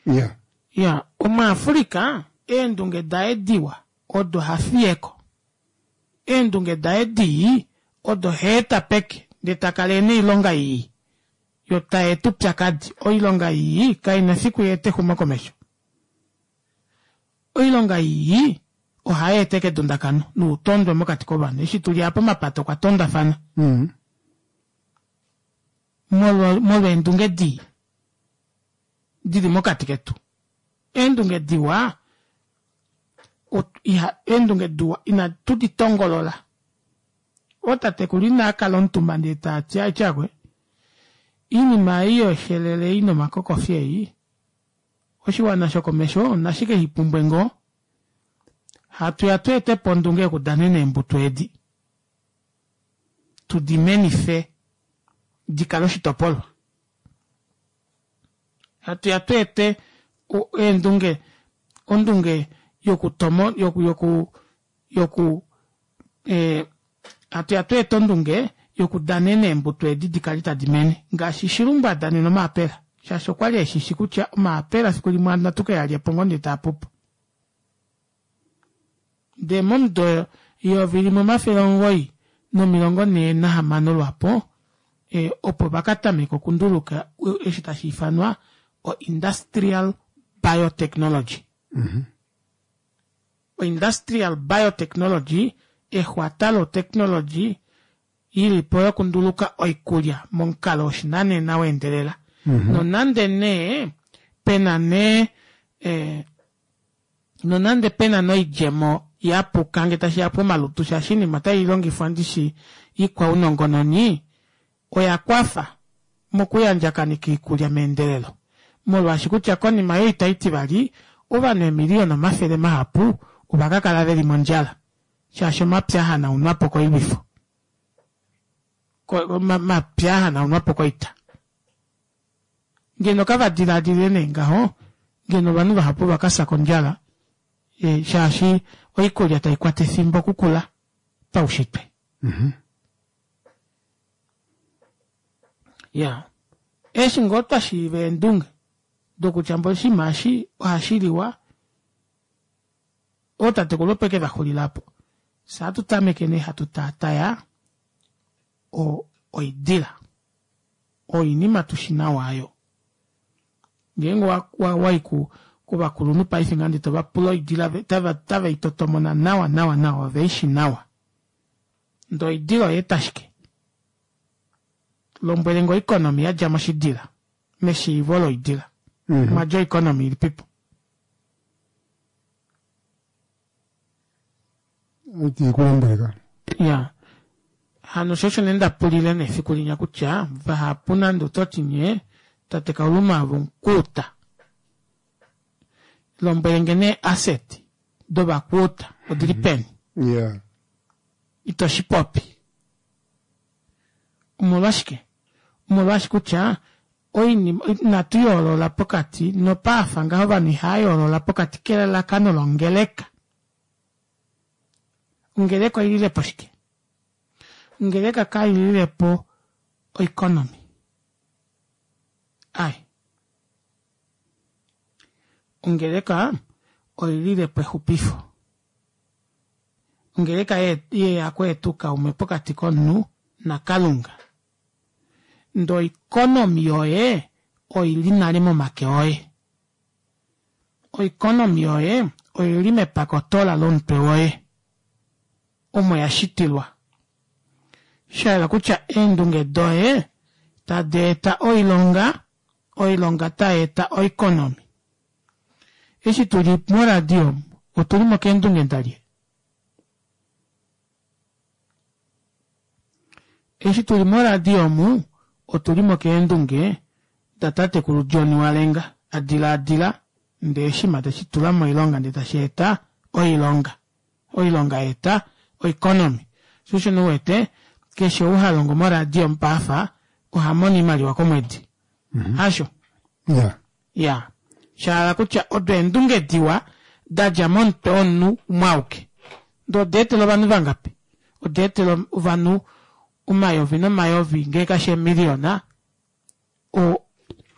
Ya. Ya, Omuafrika eendunge daye diwa odo hafiyeko. Eendunge daye dii odo heeta peke ndee takala ena oilonga ii yo tayeeta oupyakadi. Oilonga ii kaina efiku yeete exumokomesho. Oilonga ii ohayeeta ashike edundakano noutondwe mokati kovanhu. Eshi tuli apa omapata okwa tondafana. Mm. Molwa molwa eendunge dii dili mokati ketu. Eendunge diwa iha eendunge diwa inatu di tongolola. Ootatekulu inaa kala omutumba ndee taati aityakwe iinima ei yoshelele ei nomakokofi ei oshiwana shokomesho nashike shipumbwe ngoo hatuya tweetepo ondunge yokudanena eembuto edi tudimenife dikale oshitopolwa hatuya tweete eendunge ondunge yokutomo yoku yoku yoku eh, hatuya tweeta ondunge yokudanena eembuto edi dikale tadi mene ngaashi Shilumbu adanena omaapela shaashi okwali eshishi kutya omaapela fiku limwe natu ke yalyepo ngoo ndee taapupo. Ndee momudo yeyovi limwe omafele omugoyi nomilongo nhee nahamano lwaapo e, opo vakatameka okunduluka eshi tashi ifanwa o industrial biotechnology. Mm-hmm. O industrial biotechnology exwata lotechnology ilipo yokunduluka oikulya momukalo woshinanena weendelela. Mm-hmm. Nonande nee pena nee eh, nonande pena noidjemo yapuka ngee tashiya pomalutu shaashi oinima otailongifwa ndishi ikwaunongononi oya kwafa mokuyandjakanika oikulya meendelelo molwaashi kutya konima yoita itivali ovanhu eemiliyona omafele mahapu ovakakala veli mondjala shaashi omapya ahanaunwapo koilwifo omapya ahanaunwapo koita. Ngeno kavadilaadilile nee ngaho ngeno ovanhu vahapu vakafya kondjala e, shaashi oikulya taikwata efimbo okukula paushitwe. Mm-hmm. Ya, eshi ngoo twashiiva eendunge dokutya mboli oshinima eshi ohashiliwa ootatekulu opo eke vaxulilapo fye ohatu tameke nee hatu taataya oidila oinima tushi nawa aayo. Ngeenge wayi kovakulunhu paife ngaha ndee tovapula oidila otave itotomona nawa nawa nawa oveishi nawa. Ndee oidila oyaeta shike? Lombwelenge oeconomy yadja moshidila meshiivo loidila. Mm-hmm. Mwadja oeconomy ilipipo? Iti kulombweleka. Ya. Hano sho osho nee ndapulile nee efiku linya kutya vahapu nande ototi nyee tate Kauluma ove omukuuta. Lombwelenge nee asset dovakuuta odili peni? Yeah. Ito shipopi. Omolwashike? Omolwaashi kutya oinima inatu yoolola pokati nopaafa ngaho ovanhu ihava yoolola pokati kelalakano longeleka. Ongeleka oililepo shike? Ongeleka kaililepo oeconomy. Ai. Ongeleka oililepo exupifo. Ongeleka yeya kweeta oukaume pokati komunhu naKalunga. Ndee oeconomy yoye oili nale momake oye. Oeconomy yoye oili mepakotola lomutwe woye. Omo yashitilwa. Shahala kutya eendunge doye tadi eta oilonga, oilonga tayeeta oeconomy. Eshi tuli moradio otulimo keendunge dalye? Eshi tuli moradio omu otulimo keendunge datatekulu John Walenga adilaadila ndee oshinima teshitula moilonga ndee tashi eta oilonga. Oilonga yaeta oeconomy. Sho osho nee uwete keshe ou halongo moradio mupaafa ohamono oimaliwa komwedi. Hasho? Yeah. Ya. Shahala kutya odo eendunge diwa dadja momutwe womunhu umwe auke. Ndee oda etela ovanhu vangapi? Oda etela ovanhu omayovi nomayovi ngee kashi eemiliyona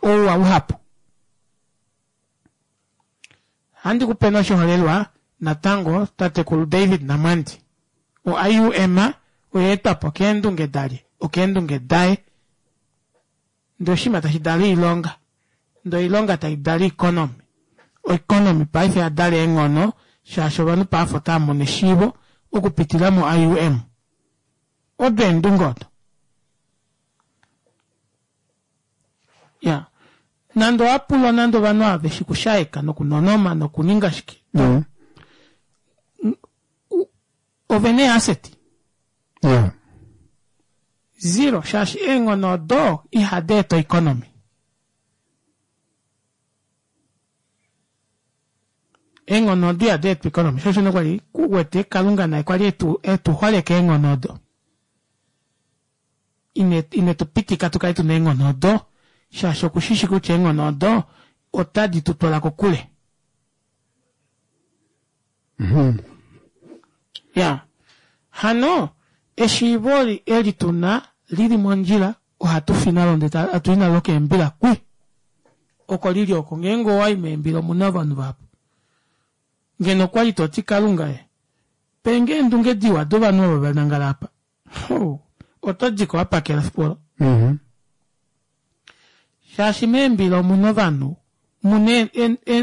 ouwa uhapu. Ohandi kupe nee oshiholelwa natango tatekulu David Namwandi. O I U M oyaetwapo keendunge dalye? Okeendunge daye. Ndee oshinima tashi dala oilonga ndee oilonga taidala oeconomy, oeconomy paife oyadala eenghono shaashi ovanhu paife otaamono eshiivo okupitila mo I U M. Odo eendunge odo. Iya, nande owapulwa nande ovanhu ava veshi kushaeka nokunonoma nokuninga shike, ovena eeasset? Yeah. Zero, shaashi eenghono odo ihadi eta oeconomy. Eenghono odo ihadi eta oeconomy, sho osho nee kwali uwete Kalunga naye kwali etu etu holeka eenghono odo. Ine ine tupitika tukale tuna eenghono odo shaashi okushishi kutya eenghono odo otadi tu twala kokule. Ya hano eshiivo eli tuna lili mondjila ohatu fi nalo ndee hatu i nalo keembila kwi oko lili oko ngeenge owai meembila omuna ovanhu vahapu ngeno okwali toti kalunga e penge eendunge diwa dovanhu ovo vanangala apa oto diko wapakela efiku olo shaashi meembila omuna ovanhu muna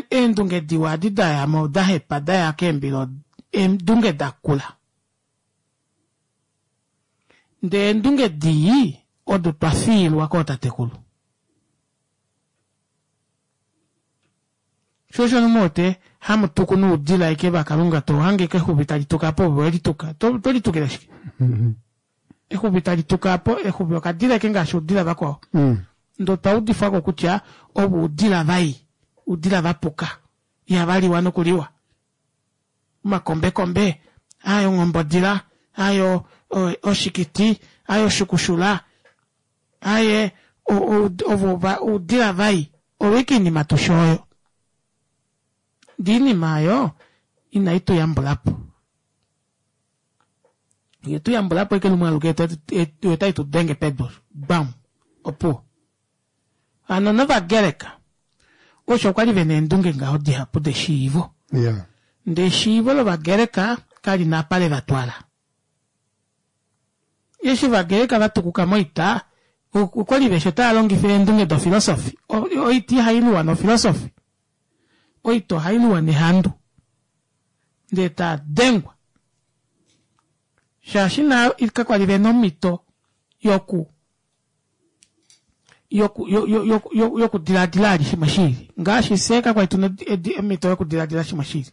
eendunge diwa adi dayamo dahepa daya keembila eendunge dakula ndee eendunge dii odo twa fiilwa kootatekulu. Sho osho muwete hamu tuku noudila aike vakalunga tohange ike exuvi tali tuka apo ove welituka to litukile shike? Exuvi tali tuka apo exuvi okadila aike ngaashi oudila vakwao. Ndee otwa udifwako kutya ovo oudila vai, oudila vapuka ihava liwa nokuliwa. Omakombekombe, aaye onghombodila, aaye oshikiti, aaye oshukushula, aaye ovo oudila vai, oyo aike oinima tushi oyo. Ndee oinima oyo inai tu yambulapo. Ye tu yambulapo ashike lumwe aluke yo otai tu denge pedu bam opuwo. Hano novagreka osho kwali vena eendunge ngaho dihapu deshiivo. Yeah. Ndee eshiivo lovagreka kali na apa levatwala. Eshi ovagreka vatukuka moita okwali veshi otava longifa eendunge dofilosofi. Oita ihailuwa nofilosofi. Oita ohailuwa nehandu. Ndee taa dengwa. Shaashi na kakwali vena omhito yoku yoku yokudilaadila ali shimwe shiili. Ngaashi fye kakwali tuna omhito yokudilaadila shimwe shiili.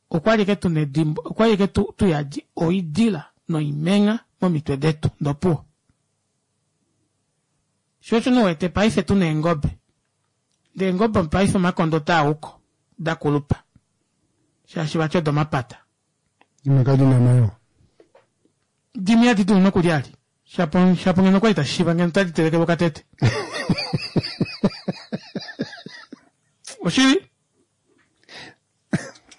Okwali ike tuna edimbo, okwali ike tuyadi oidila noimengha momitwe detu ndee opuwo. Sho osho nee uwete paife tuna eengobe. Ndee eengobe paife omakondo otaa uko dakulupa. Shaashi vati odomapata. Dimwe kadi na omayoo. Dimwe ihadi dulu nokulya ali. Shapo shapo ngeno okwali tashi shiiva ngeno otadi telekelwa okatete. Oshili?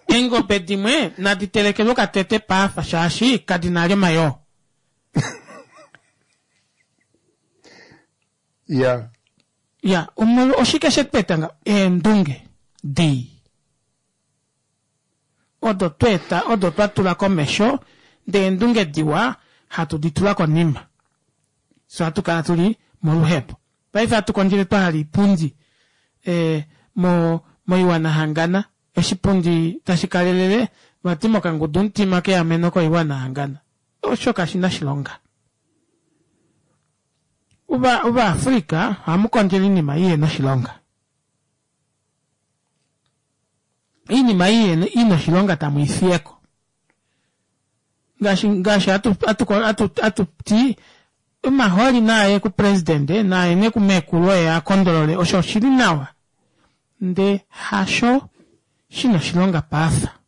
Eengobe dimwe nadi telekelwe okatete paafa shaashi kadi na ali omayoo. Ya. Ya, omolwa oshike shetu eta ngaho? Eendunge dii. Odo tweeta odo twa tula komesho ndee eendunge diwa hatu di tula konima. Fye ohatu kala tuli moluhepo. Paife hatu kondjele twa hala oipundi e, mo moiwana hangana oshipundi tashi kalelele vati mokangudu mutima keameno koiwana hangana. Osho kashi na shilonga. Ova Ovaafrika ohamu kondjele oinima ihena oshilonga. Oinima ina oshilonga tamu i fiyeko. Ngaashi ngaashi hatu hatu hatu hatu ti omahooli naaye kupresidente naaye nee kumeekulu oye a kondolole osho oshili nawa ndee hasho shina oshilonga paafa.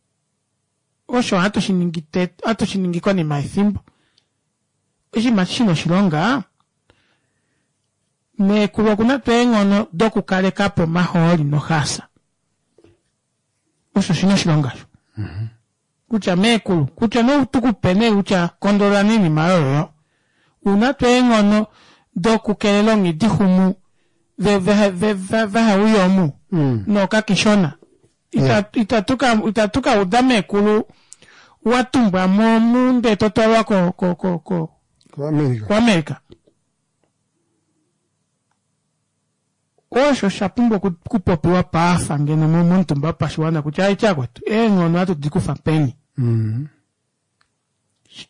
Osho ohatu shi ningi ohatu shi ningi konima yefimbo. Oshinima shina oshilonga meekulu okuna tuu eenghono dokukalekapo omahooli noxaasa. Osho shina oshilonga sho. Kutya meekulu, kutya noutukupe nee kutya kondolola oinima oyo. Una tuu eenghono dokukelela onghidixumu vehauya omu nookakishona. Itatu ka uda meekulu watumbwa mo omu ndee totwalwa ko ko ko ko kuAmerica. Osho sha pumbwa okupopiwa paafa ngeno momutumba wopashiwana kutya aitya kwetu eenghono ohatu dikufa peni.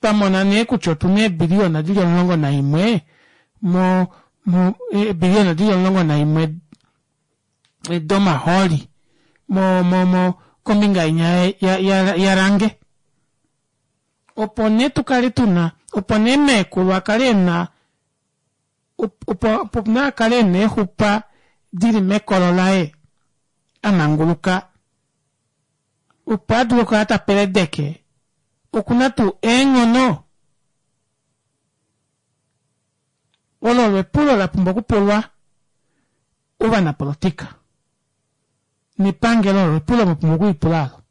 Twamona nee kutya otuna eebiliyona dili omulongo naimwe mo mo eebiliyona dili omulongo naimwe domahooli mo mo mo kombinga inya ya ya ya range. Opo nee tukale tuna opo nee meekulu akale ena opo opo nee akale ena eexupa dili mekolo laye amanguluka opo adule okukala tapeledeke okuna tuu eenghono olo olo epulo lapumbwa okupulwa ovanapolitika nepangelo olo epulo mwapumbwa okulipula alo.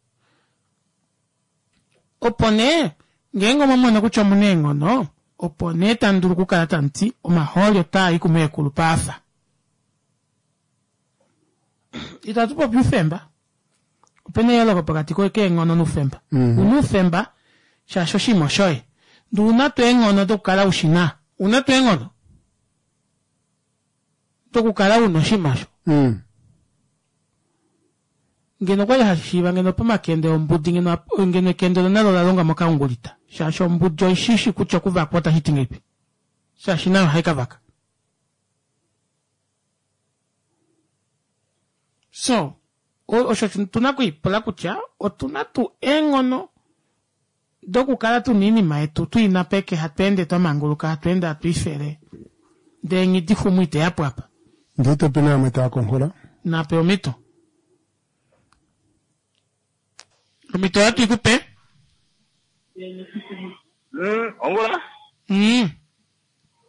Opo nee ngeenge omwamona kutya omuna eenghono opo nee tamudulu okukala tamuti omahooli otaa i kumeekulu paafa. Itatu popi oufemba. Opena eyooloko pokati keenghono noufemba. Una oufemba shaashi oshinima oshoye. Ndee una tuu eenghono dokukala ushina. Una tuu eenghono dokukala una oshinima osho. Ngeno okwali hashishiiva ngeno pomakende ombudi ngeno ngeno ekende olo nalo olalongwa mokaungulita. Shaashi ombudi oishishi kutya okuvakwa otashiti ngahelipi. Shaashi nayo ohai kavaka. So, osho tuna okwiipula kutya otuna tuu eenghono dokukala tuna oinima yetu tuina peke hatu ende twamanguluka hatu ende hatu ifele ndee nghidixumu iteyapo apa. Ndee topena vamwe tava konghola. Nape omhito. Omhito ohatu ikupe. Mm, ongula? Mm.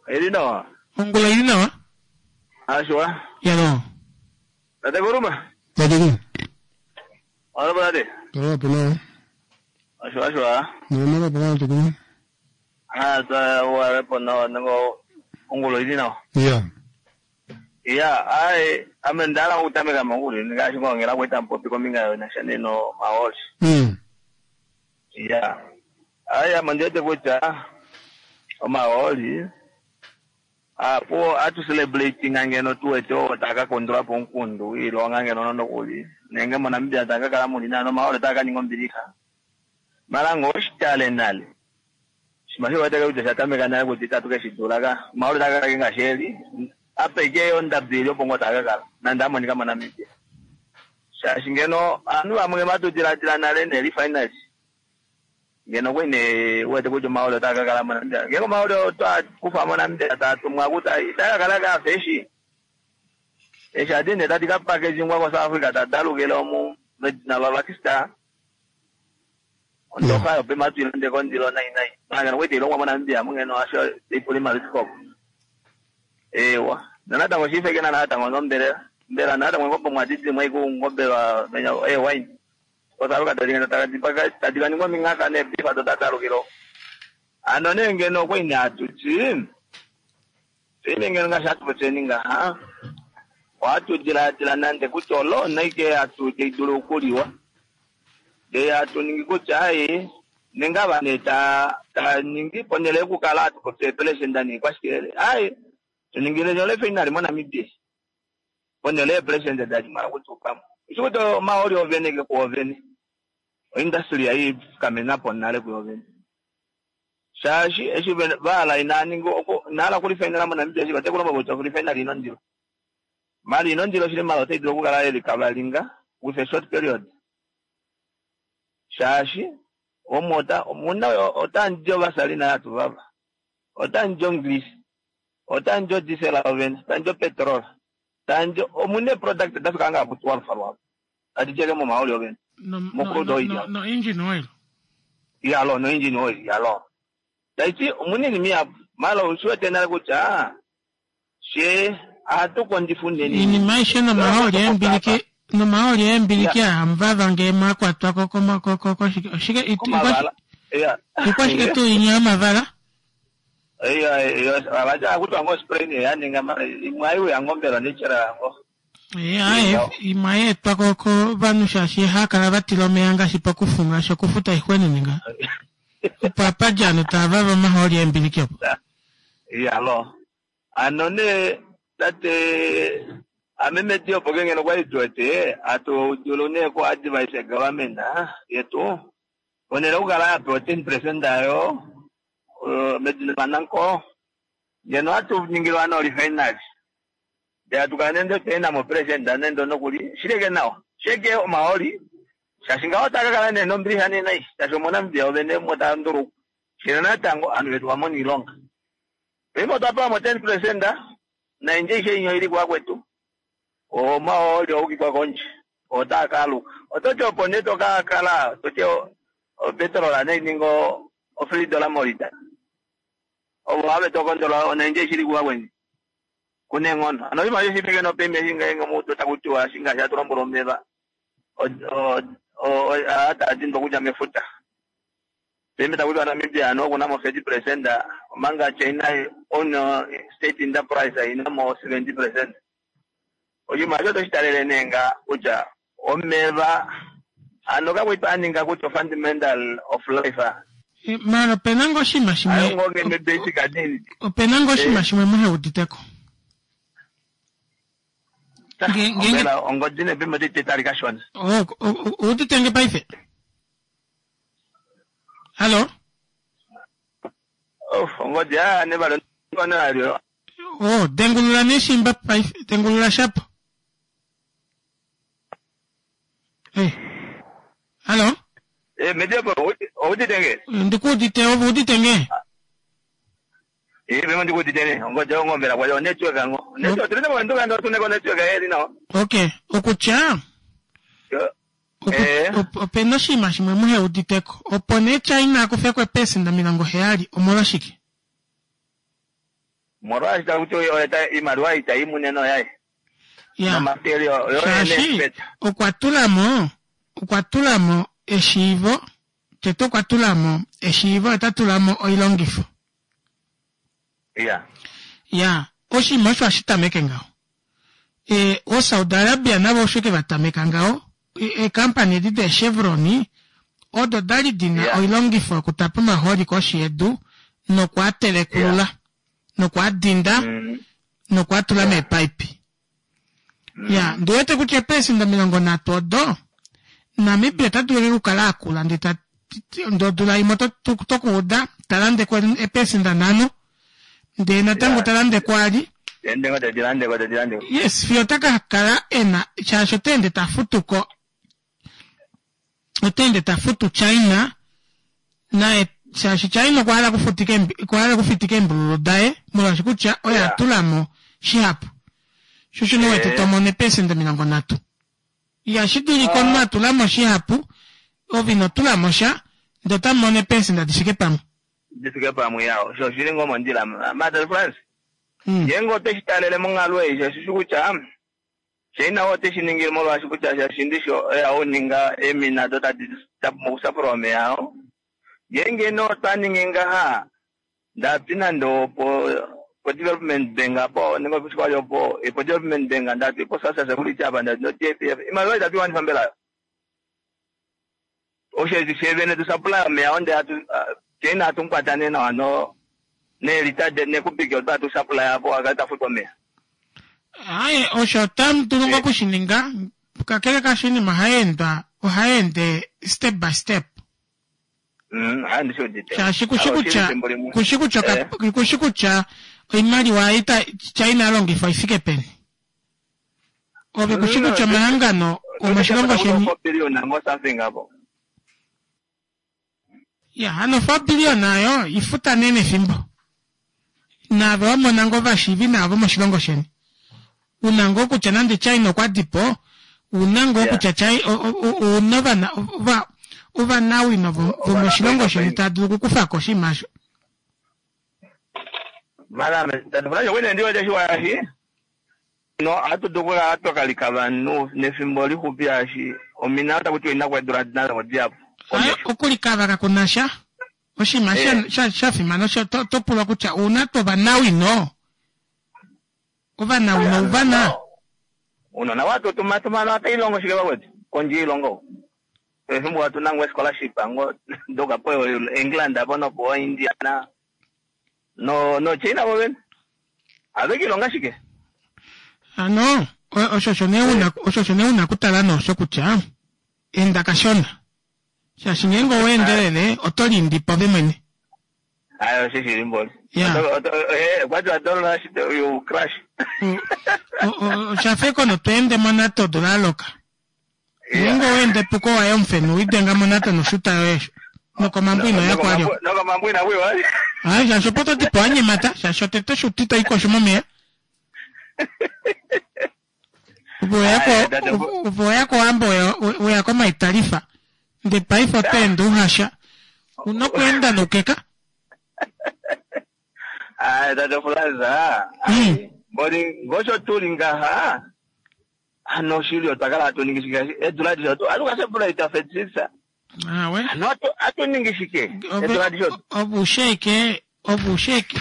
Ili nawa. Ongula ili nawa. Ashwa. Yalo. Tate Kuruma. Tate. Alo tate. Tala pena. Ashwa ashwa. Nemala pena tukuna. Ah, ta wa pona nango ongula ili nawa. Yeah. Yeah, ai ame ndala okutameka mangulu ngaashi ngongela kweta mpopi kombinga yonasha neno mahooli. Mm. Yeah. Ai ame ndiwete kutya omahooli apo atu celebrating ngeno tuwete oo taka kondula po omukundu iilonga ngeno nonokuli nenge moNamibia taka kala muli nano omahooli otaka kaninga ombilixa. Mala ngoo oshitale nale shima shiweteke kutya shatameka nale kutya itatu keshidula ka omahooli otaka kala ngaashi eli apeke ondado ili opo ngoo taka kala nande amonika moNamibia. Shaashi ngeno ovanhu vamwe vatu diladila nale nerefinery ngeno kwene wete kutya omahooli otaka kakala moNamibia. Ngenge omahooli otwa kufa moNamibia taa tumwa kutya itaka kala kafa eshi eshi adi nee tadi ka packagingwa koSouth Africa tadalukile omu medina lwaLucky ondoka yopema tuilande kondilo nai nai mala ngeno kwete ilongwa moNamibia mungeno asho ipula imali ewa nonatango shifekena natango nombelela mbela natango ngombe mwadidi mwaiku ngombe menya e wine kosaluka tadi tadi kaningwa mingaka nebifa todadalukilo ano nee ngeno kwene atuti ine ngeno ngaashi hatu ngaha ohatu diladila nande kutya olona ike hatu taidulu okuliwa ndee hatu ningi kutya ai nenge ava nee ta ta ningi ponhele yokukala hatu popi eepelesenda niikwashikele ai tuningile olefinali moNamibia ponhele yeepelesenda dadi mala kutukamo ushi kuti omahooli ovene ke kuovene oindustry yaifikamena nale kuyovene shaashi eshi vahala inaningi inahala okulifainala moNamibia shi vatekulomba kutya okulifainala ino ndilo mali ino ndilo shili mala otai dulu okukala yelikavalinga with a short period shaashi omu ota omuna otandji ovasalina yatu vava otandji ongrease otandji odisela ovene otandji opetrol tandji omuna eproduct dafika nga ku twelve lwavo tadi teke momahooli ovene No, no, mocrude oil no, no engine oil. Yalo no engine oil yalo taiti omuna iinima ihapu mala ushiwete nale kutya she ohatu kondjifa unene Iinima aishe nomahooli eembiliki Nomahooli eembiliki aa muvava ngee mwakwatwa ko koshike Komavala. Iya. ikwashike tuu inya yomavala Iya, iya, avacha kutwa ngo spray ne yaninga mara imwe aiuya ngombela nechera yango. aye imwe ayeetwa ko kovanhu shaashi haakala vatila omeya ngaashi pokufu ngaashi okufuta ixwenene nga opo apadja ovanhu tava vava omahooli eembiliki opo Iya lo. Ano ne tate ame meti opo ke ngeno kwali tuwete atu dulu ne ku advise government yetu onele okukala yapewa ten percent ayo uh, medina mananko ngeno atu ningilwa no refinery ndee atukala nende tena mo president nende nokuli shileke nawa sheke omahooli shaashi ngaho takakala nee nombiliha nee nai shaashi omoNamibia ovene mo taa nduluka shina natango anhu vetu vamona iilonga paife otwa pewa mo ten percent naindje ishe inyo ili kwakwetu omahooli oukikwa kondje otaa kaaluka ototi opo nee tokakala toti opetrol nei ninga o three dollar molita ovo have tokondola onaindje ishili kuwakweni kuneng'ono ano oshimaliwa shifike nopemia shingenge mutu takutiwa shinga shatulombwela omeva atadindwa kudja mefuta pembe takutiwa Namibia ano okunamo thirty percent omanga China own state enterprise inamo seventy percent oshimaliwa otoshitalele nee nga kutya omeva ano kakwitu aninga kutya fundamental of life mara opena ngoo oshinima shimwe ayo ngoo ngeno basic need opena ngoo oshinima shimwe muheuditeko ombela ongodi nepimo titali kashona oh uudite nge paife hallo oh ongodi a nevalo nalyo oh dengulula neshimba paife dengulula shapo eh hallo eh mediepo oudite nge ndikuudite ove udite nge eh memo ndikuudite ne ongodi ongombela kwayo network ngo network tuline mwenduka ndo tuneko network yeli nawa okay okutya eh opena oshinima shimwe muheuditeko opo nee China akufeko eepesenda omilongo heyali omolwashike molwaashi takuti oyo iimaliwa itayi muneno yaye ya nomaterial shaashi okwa tulamo okwa tulamo eshiivo tete okwa tulamo eshiivo ota tulamo oilongifo ya ya oshinima osho ashitameke ngaho e o Saudi Arabia navo osho ke vatameka ngaho eekampani edi deechevroni odo dali dina Yeah. oilongifo yokutapa omahooli koshi yedu nokwaatelekulula yeah. nokwaadinda mm. nokwaatula yeah. meepaipi mm. ya ndiwete kutya eepesenda omilongo nhatu odo Namibia ota dulu okukala akula ndee ta ndee odula imwe tokuuda talandeko eepesenda nhano ndee natango Yeah. talandeko ali endengo tedilandeko tedilandeko yes fiyo otaka kala ena shaashi otaende tafutuko otaende tafutu China naye shaashi China okwa hala okufutika eembi- okwa hala okufitika eembululu daye molwaashi kutya oye Yeah. atulamo shihapu sho osho nowete Eh. tomono eepesenda omilongo nhatu ihashi dulika omunhu atulamo shihapu ove ino tulamo sha ndee otamumono eepesenda difike pamwe difike pamwe yawo sho shili ngoo mondjila Mother France Mm. ngeenge oteshi talele monghalo ei shashishi kutya China oteshi ningile molwaashi kutya shashi ndisho oya uninga eemina do tadi mokusapula omeya awo ngeenge nee otwa ningi ngaha ndapi nande opo po development bank apo nenge opo opo po development bank ndati po SASSA security apa ndati no T F F imaliwa itatu iwanifa mbela yo osho shevene tusapula omeya onde atu China atunkwatane nawa no neelita nekupiki otwa tusapula yapo akati tafutwa omeya aye osho otamu dulu ngoo okushininga kakele kaasho oinima ohayeendwa ohayeende step by step Mm, hayi ndishiudite shaashi kushi kutya kushi kutya oka- kushi kutya oimaliwa ita China alongifa ifike peni ove kushi kutya omahangano omoshilongo sheni billion ngo something apo ya hano four billion ayo ifuta nee nefimbo naave wamona ngoo vashiivi naavo moshilongo sheni una ngoo kutya nande China okwa dipo una ngoo Yeah. kutya China una ovana ova ovanawino vo- vomoshilongo sheni tava dulu okukufako oshinima osho mara tandifuna chokwene ndiwete shiwayashi No ohatu dulu okukala twa kalika vanhu nefimbo lixupi shaashi omina otaku tiwa ina kweedula natango dihapu. Okulikava kaku na sha. Oshinima sha, sha, sha fimana osho to, to pulwa kutya ouna tuu ovanawino? Ovanawino ouvana? Unona watu tumatumana otailongo shike vakwetu kondje yoilongo. Efimbo watu nango scholarship ango doka po England apo nopo India na no no China vo vene. Avekilonga shike? Ano, osho osho nee una, osho osho nee una okutala noosho kutya enda kashona. Shaashi ngeenge owa endelele oto liindipa ove mwene. Ayo osho shili mboli. Yeah. Kwati wa don't rush you crash. Osha fa ekono to ende monato odula ya loka. Ngeenge owa ende epuko waye omufenu widenga monato noshuta yoye nokomambo ino ya kwalyo. Nokomambo ina kuiwa. Ai shaashi opo to dipo wa nyemata shaashi otete oshuta ito ikosho momeya. Opo weya kOwambo weya komaitalifa ndee paife oto ende uhasha. Una okweenda noukeka. Ai tate Fulaza. Mboli ngosho tuli ngaha. Ano oshili otwa kala hatu ningi shike eedula adishe atu ka celebrate thirty-six. Awe. Ano atu ningi shike eedula adishe. Ovusheke, ovusheke.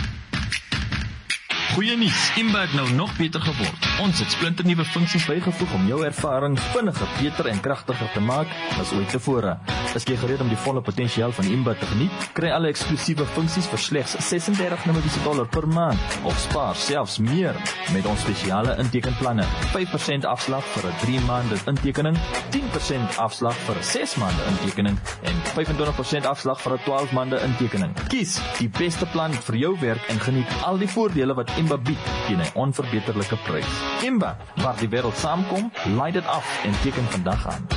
Goeie nuus, Imba het nou nog beter geword. Ons het splinternuwe funksies bygevoeg om jou ervaring vinniger, beter en kragtiger te maak as ooit tevore. Is jy gereed om die volle potensiaal van Imba te geniet? Kry alle eksklusiewe funksies vir slegs ses-en-dertig Namibiese dollar per maand of spaar selfs meer met ons spesiale intekenplanne. vyf persent afslag vir 'n drie maande intekening, tien persent afslag vir 'n ses maande intekening en vyf-en-twintig persent afslag vir 'n twaalf maande intekening. Kies die beste plan vir jou werk en geniet al die voordele wat Imba bied teen 'n onverbeterlike prys. Imba, waar die wêreld saamkom, laai dit af en teken vandag aan.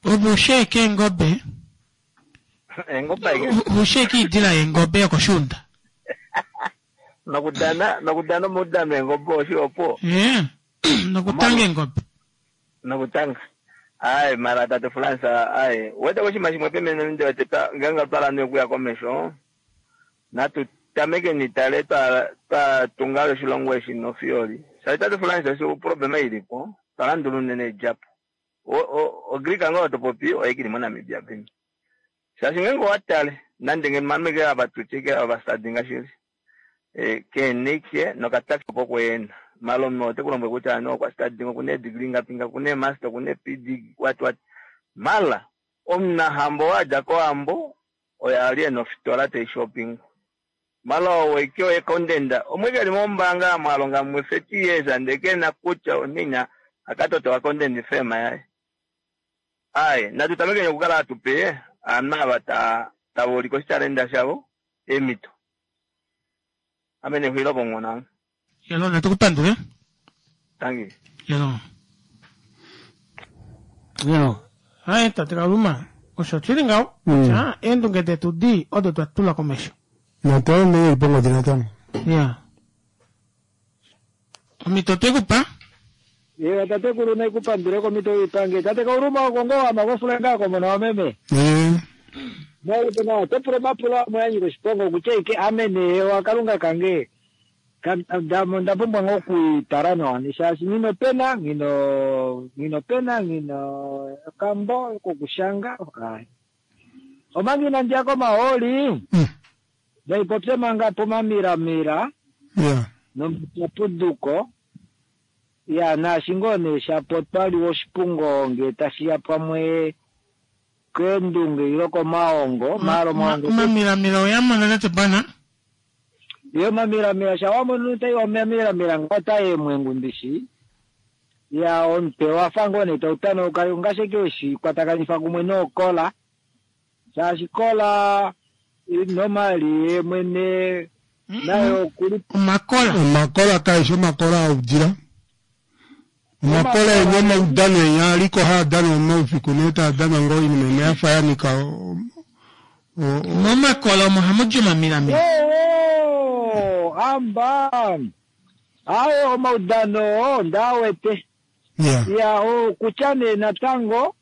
Ovusheke eengobe. Eengobe ike. Vusheke iidila yeengobe yokoshuunda. Nokudana, nokudana omaudano eengobe osho opo. Yeah. Nokutanga eengobe. Nokutanga. Ai mara tate Fransa, ai wete oshinima shimwe pemene ndi wete twa ngeenge twa landa okuya komesho. Natu tameke nitale twa twa tunga oshilongo eshi nofioli. Shaashi tate Fransa osho problema ilipo, twa landula unene edjapo. O, o, o Greek ngoo to popi oye kili moNamibia peni. Shaashi ngeenge owa tale nande ngeno mameke ava tutike ava stadi ngashili. E, kenike nokataxi opo kweena. Malome ote ku lombwele kutya ano okwa stadi ngo kune degree ngapi nga kune master kune P D what what. Mala omunahambo wa dja kohambo oye ali e nofitola tai shopping. Mala oweke oye kondenda. Omweke ali mombaanga mwalonga mwe thirty years ande kena kutya onina akatoto wa kondenda firma yaye. Ai, natu tameke okukala hatu pe aanhu ava ta tava ulike oshitalenda shavo emito. Ame nexulilo pomungona. Yelo, natu kupandule. Thank you. Yelo. Yelo. Ai, tate Kaluma, osho shili ngaho. Kutya eendunge detu di odo twa tula komesho. Natale nee pongodi natango. Yeah. Omito tekupa? Ye tatekulu nekupandule komito ipange. Tate Kauluma oko ngo ama kofulenga ko mona wameme. Eh. Mwa na topula mapula mwanyi koshipongo kutya amene wa Kalunga kange. Ndapumbwa ngo kuitala nawa shaashi ngino pena ngino ngino pena ngino kambo kokushanga. Omangi nandia komaoli. Ndaipopye manga pomamiramira. Yeah. Nomapuduko. Ya naashi ngoo nee shapo twali oshipungo nge tashiya pamwe keendunge ilo komaongo maalo maongo. Omamiramira oyamona tate bwana. Yo mamiramira shawamonu tai omamiramira ngota yemwengu mbishi. Ya omutwe wafa ngoo nee tautanoka ngasheke weshi kwatakanifa kumwe nokola. Shaashi kola normally ye mwene nayo kuli omakola. Omakola kaishi omakola audila. Omakola enye maudano enye aliko haadana omaufiku nee taadana ngoo oinima imwe yafa yanika momakola omo hamu di omamiramira. Oh, amba ayo omaudano ndawete. Yeah. Ya okutya nee natango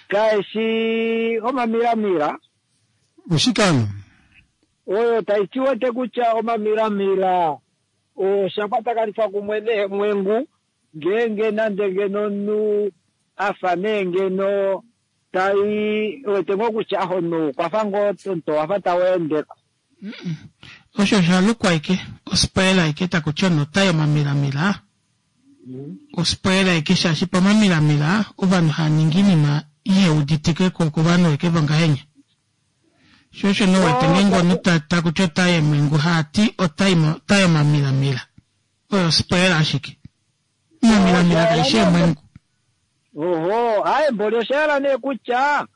kaishi omamiramira. Oshikano. Oyo taiti wete kutya omamilamila osha kwatakanifwa kumwe neemwengu ngeenge nande ngeno omunhu afa nee ngeno tai wete ngoo kutya omunhu okwafa ngoo omuto wafa taweendeko. Osho osha lukwa ashike ospoila ashike takuti omunhu otai omamilamila ospoila ashike shaashi pomamilamila ovanhu hava ningi oinima iheuditike ko kovanhu ashike vongahenya. Sho osho nee uwete ngeenge omunhu takuti otai eemwengu haati otai omamilamila oyo ospoila ashike. Omamilamila kaishi eemwengu. Oho, aaye mboli osha yela nee kutya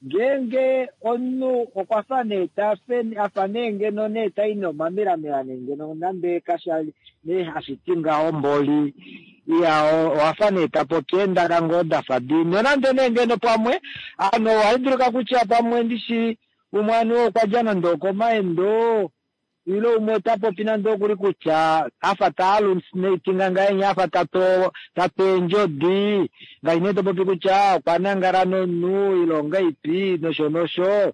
ngeenge omunhu okwafa nee tafe afa nee ngeno nee tai nomamilamila nee ngeno nande kasha nee hashi ti ngaho mboli iya owafa nee tapopi eendaka ngoo dafa di nonande nee ngeno pamwe ano ohai dulika kutya pamwe ndishi umwe aniwa okwa dja nande okomaendo ile umwe ota popi nande okuli kutya afa ta hallucinatinga ngahenya afa tato tato eendjodi ngaashi nee topopi kutya okwa nangala nomunhu ile ongaipi nosho nosho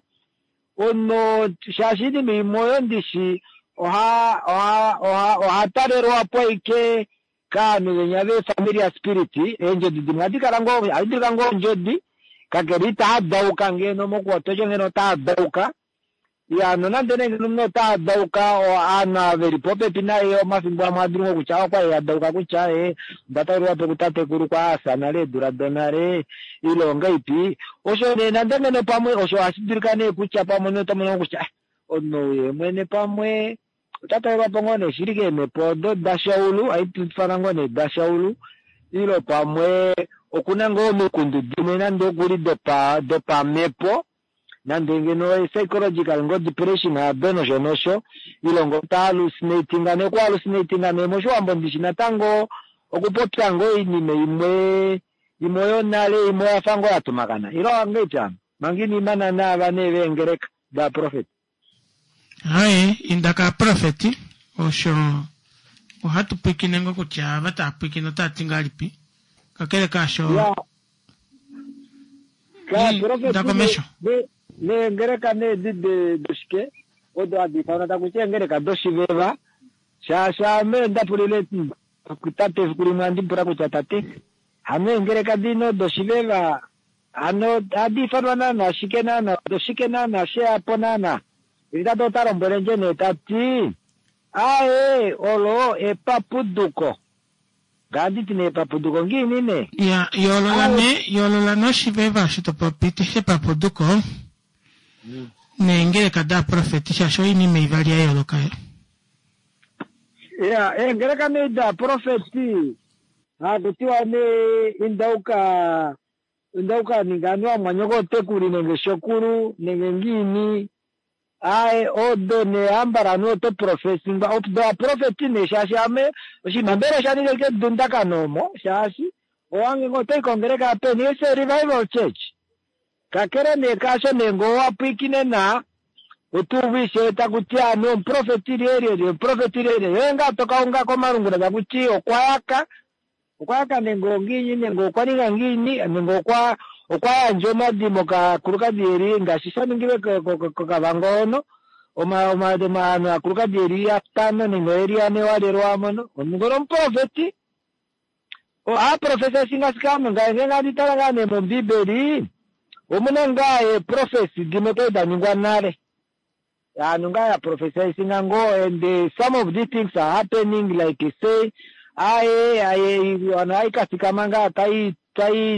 ono shaashi oinima imwe oyo ndishi oha oha oha ohatalelwapo ashike kaanhu venya ve-familiar spirit eendjodi dimwe ohadi kala ngoo ohadi dulika ngoo ondjodi kakele itaadauka ngeno mokuwatosho ngeno otaadauka ya nonande nee ngeno omunhu otaadauka aanhu ava veli popepi naye omafimbo amwe adulu ngoo kutya okwali adauka kutya ee onda talelwapo kutatekulu kwa asa nale eedula donale ile ongaipi osho nee nande ngeno pamwe osho ohashi dulika nee kutya pamwe omunhu otomono kutya omunhu ye mwene pamwe ota talelwapo ngoo nee shili keemhepo odo dashaulu haitufana ngoo nee dashaulu ile pamwe okuna ngoo omikundu dimwe nande okuli dopa dopamhepo nande ngeno psychological ngoo depression ado nosho nosho ile ngoo ta hallucinatinga nee okuhallucinatinga nee moshiwambo ndishi natango okupopya ngoo oinima imwe imwe yonale imwe oyafa ngoo yatumakana ile ongaipi ano manga inimana naava nee veengeleka daprofeti. Haye inda kaaprofeti osho ohatu pwiikine ngoo kutya ava tava pwiikine otava ti ngahelipi kakele kaasho inda komesho. Neengeleka needi doshike odo hadi ifanwa takuti eengeleka doshiveva shaashi ame ndapulile tate efiku limwe andi pula kutya tate hano eengeleka dino doshiveva hano ohadi ifanwa naana shike naana doshike naana sheyapo naana tate ota lombwelendje nee tati aaye olo epapuduko nganditi nee epapuduko ngiini nee ya yoolola nee yoolola noshiveva osho topopi shepapuduko neengeleka daaprofeti shaashi oinima ivali ya yooloka yo. Ya eengeleka nee daaprofeti hakutiwa nee indauka indauka ninga aniwa mwanyoko otekuli nenge shokulu nenge ngiini aye odo nee ambala aniwa oto profesingwa odo aprofeti nee shaashi ame oshinima mbela osha ninga ike dundakano omo shaashi owange ngoo otoyi kongeleka peni ese revival church kakele nee kaasho nee ngoo wapwiikine na otuuvu ishewe takuti ame omuprofeti lyelyelye omuprofeti lyelyelye yoye ngaa tokaunga komalungula takuti okwayaka okwayaka nenge ongiini nenge okwa ninga ngiini nenge okwa okwa yandja omadimo kaakulukadi yeli ngaashi sha ningilwe koKavango hono oma oma aanhu aakulukadi yeli yatano nenge oyeli yane walelwa mono ngono omuprofeti aaprofesa singasikame ngaashi ngandi tala ngaa nee mombiibeli omuna ngaa eeprofesi dimwe kwali da ningwa nale aanhu ngaa ya profesaisinga ngoo and some of these things are happening like say aye aye vanhu aikasikama ngaa tai tai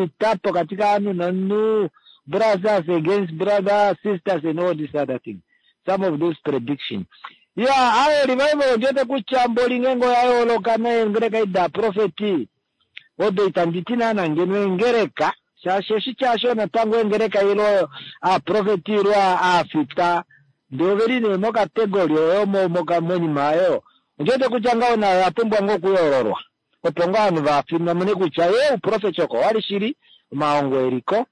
ita pokati kaanhu nomunhu brothers against brothers sisters and all these other things some of those predictions ya aye revival ondiwete kutya mboli ngenge oya yooloka neengeleka ida profeti odo itandi ti naana ngeno eengeleka shaashi oshitya osho natango eengeleka ilo aaprofeti ilo aafita ndee oveli nee mokategori oyo monima oyo ondiwete kutya ngaho nayo oya pumbwa ngoo okuyoololwa opo ngoo ovanhu vamone kutya ye uprofeti oko wali shili omahongo eliko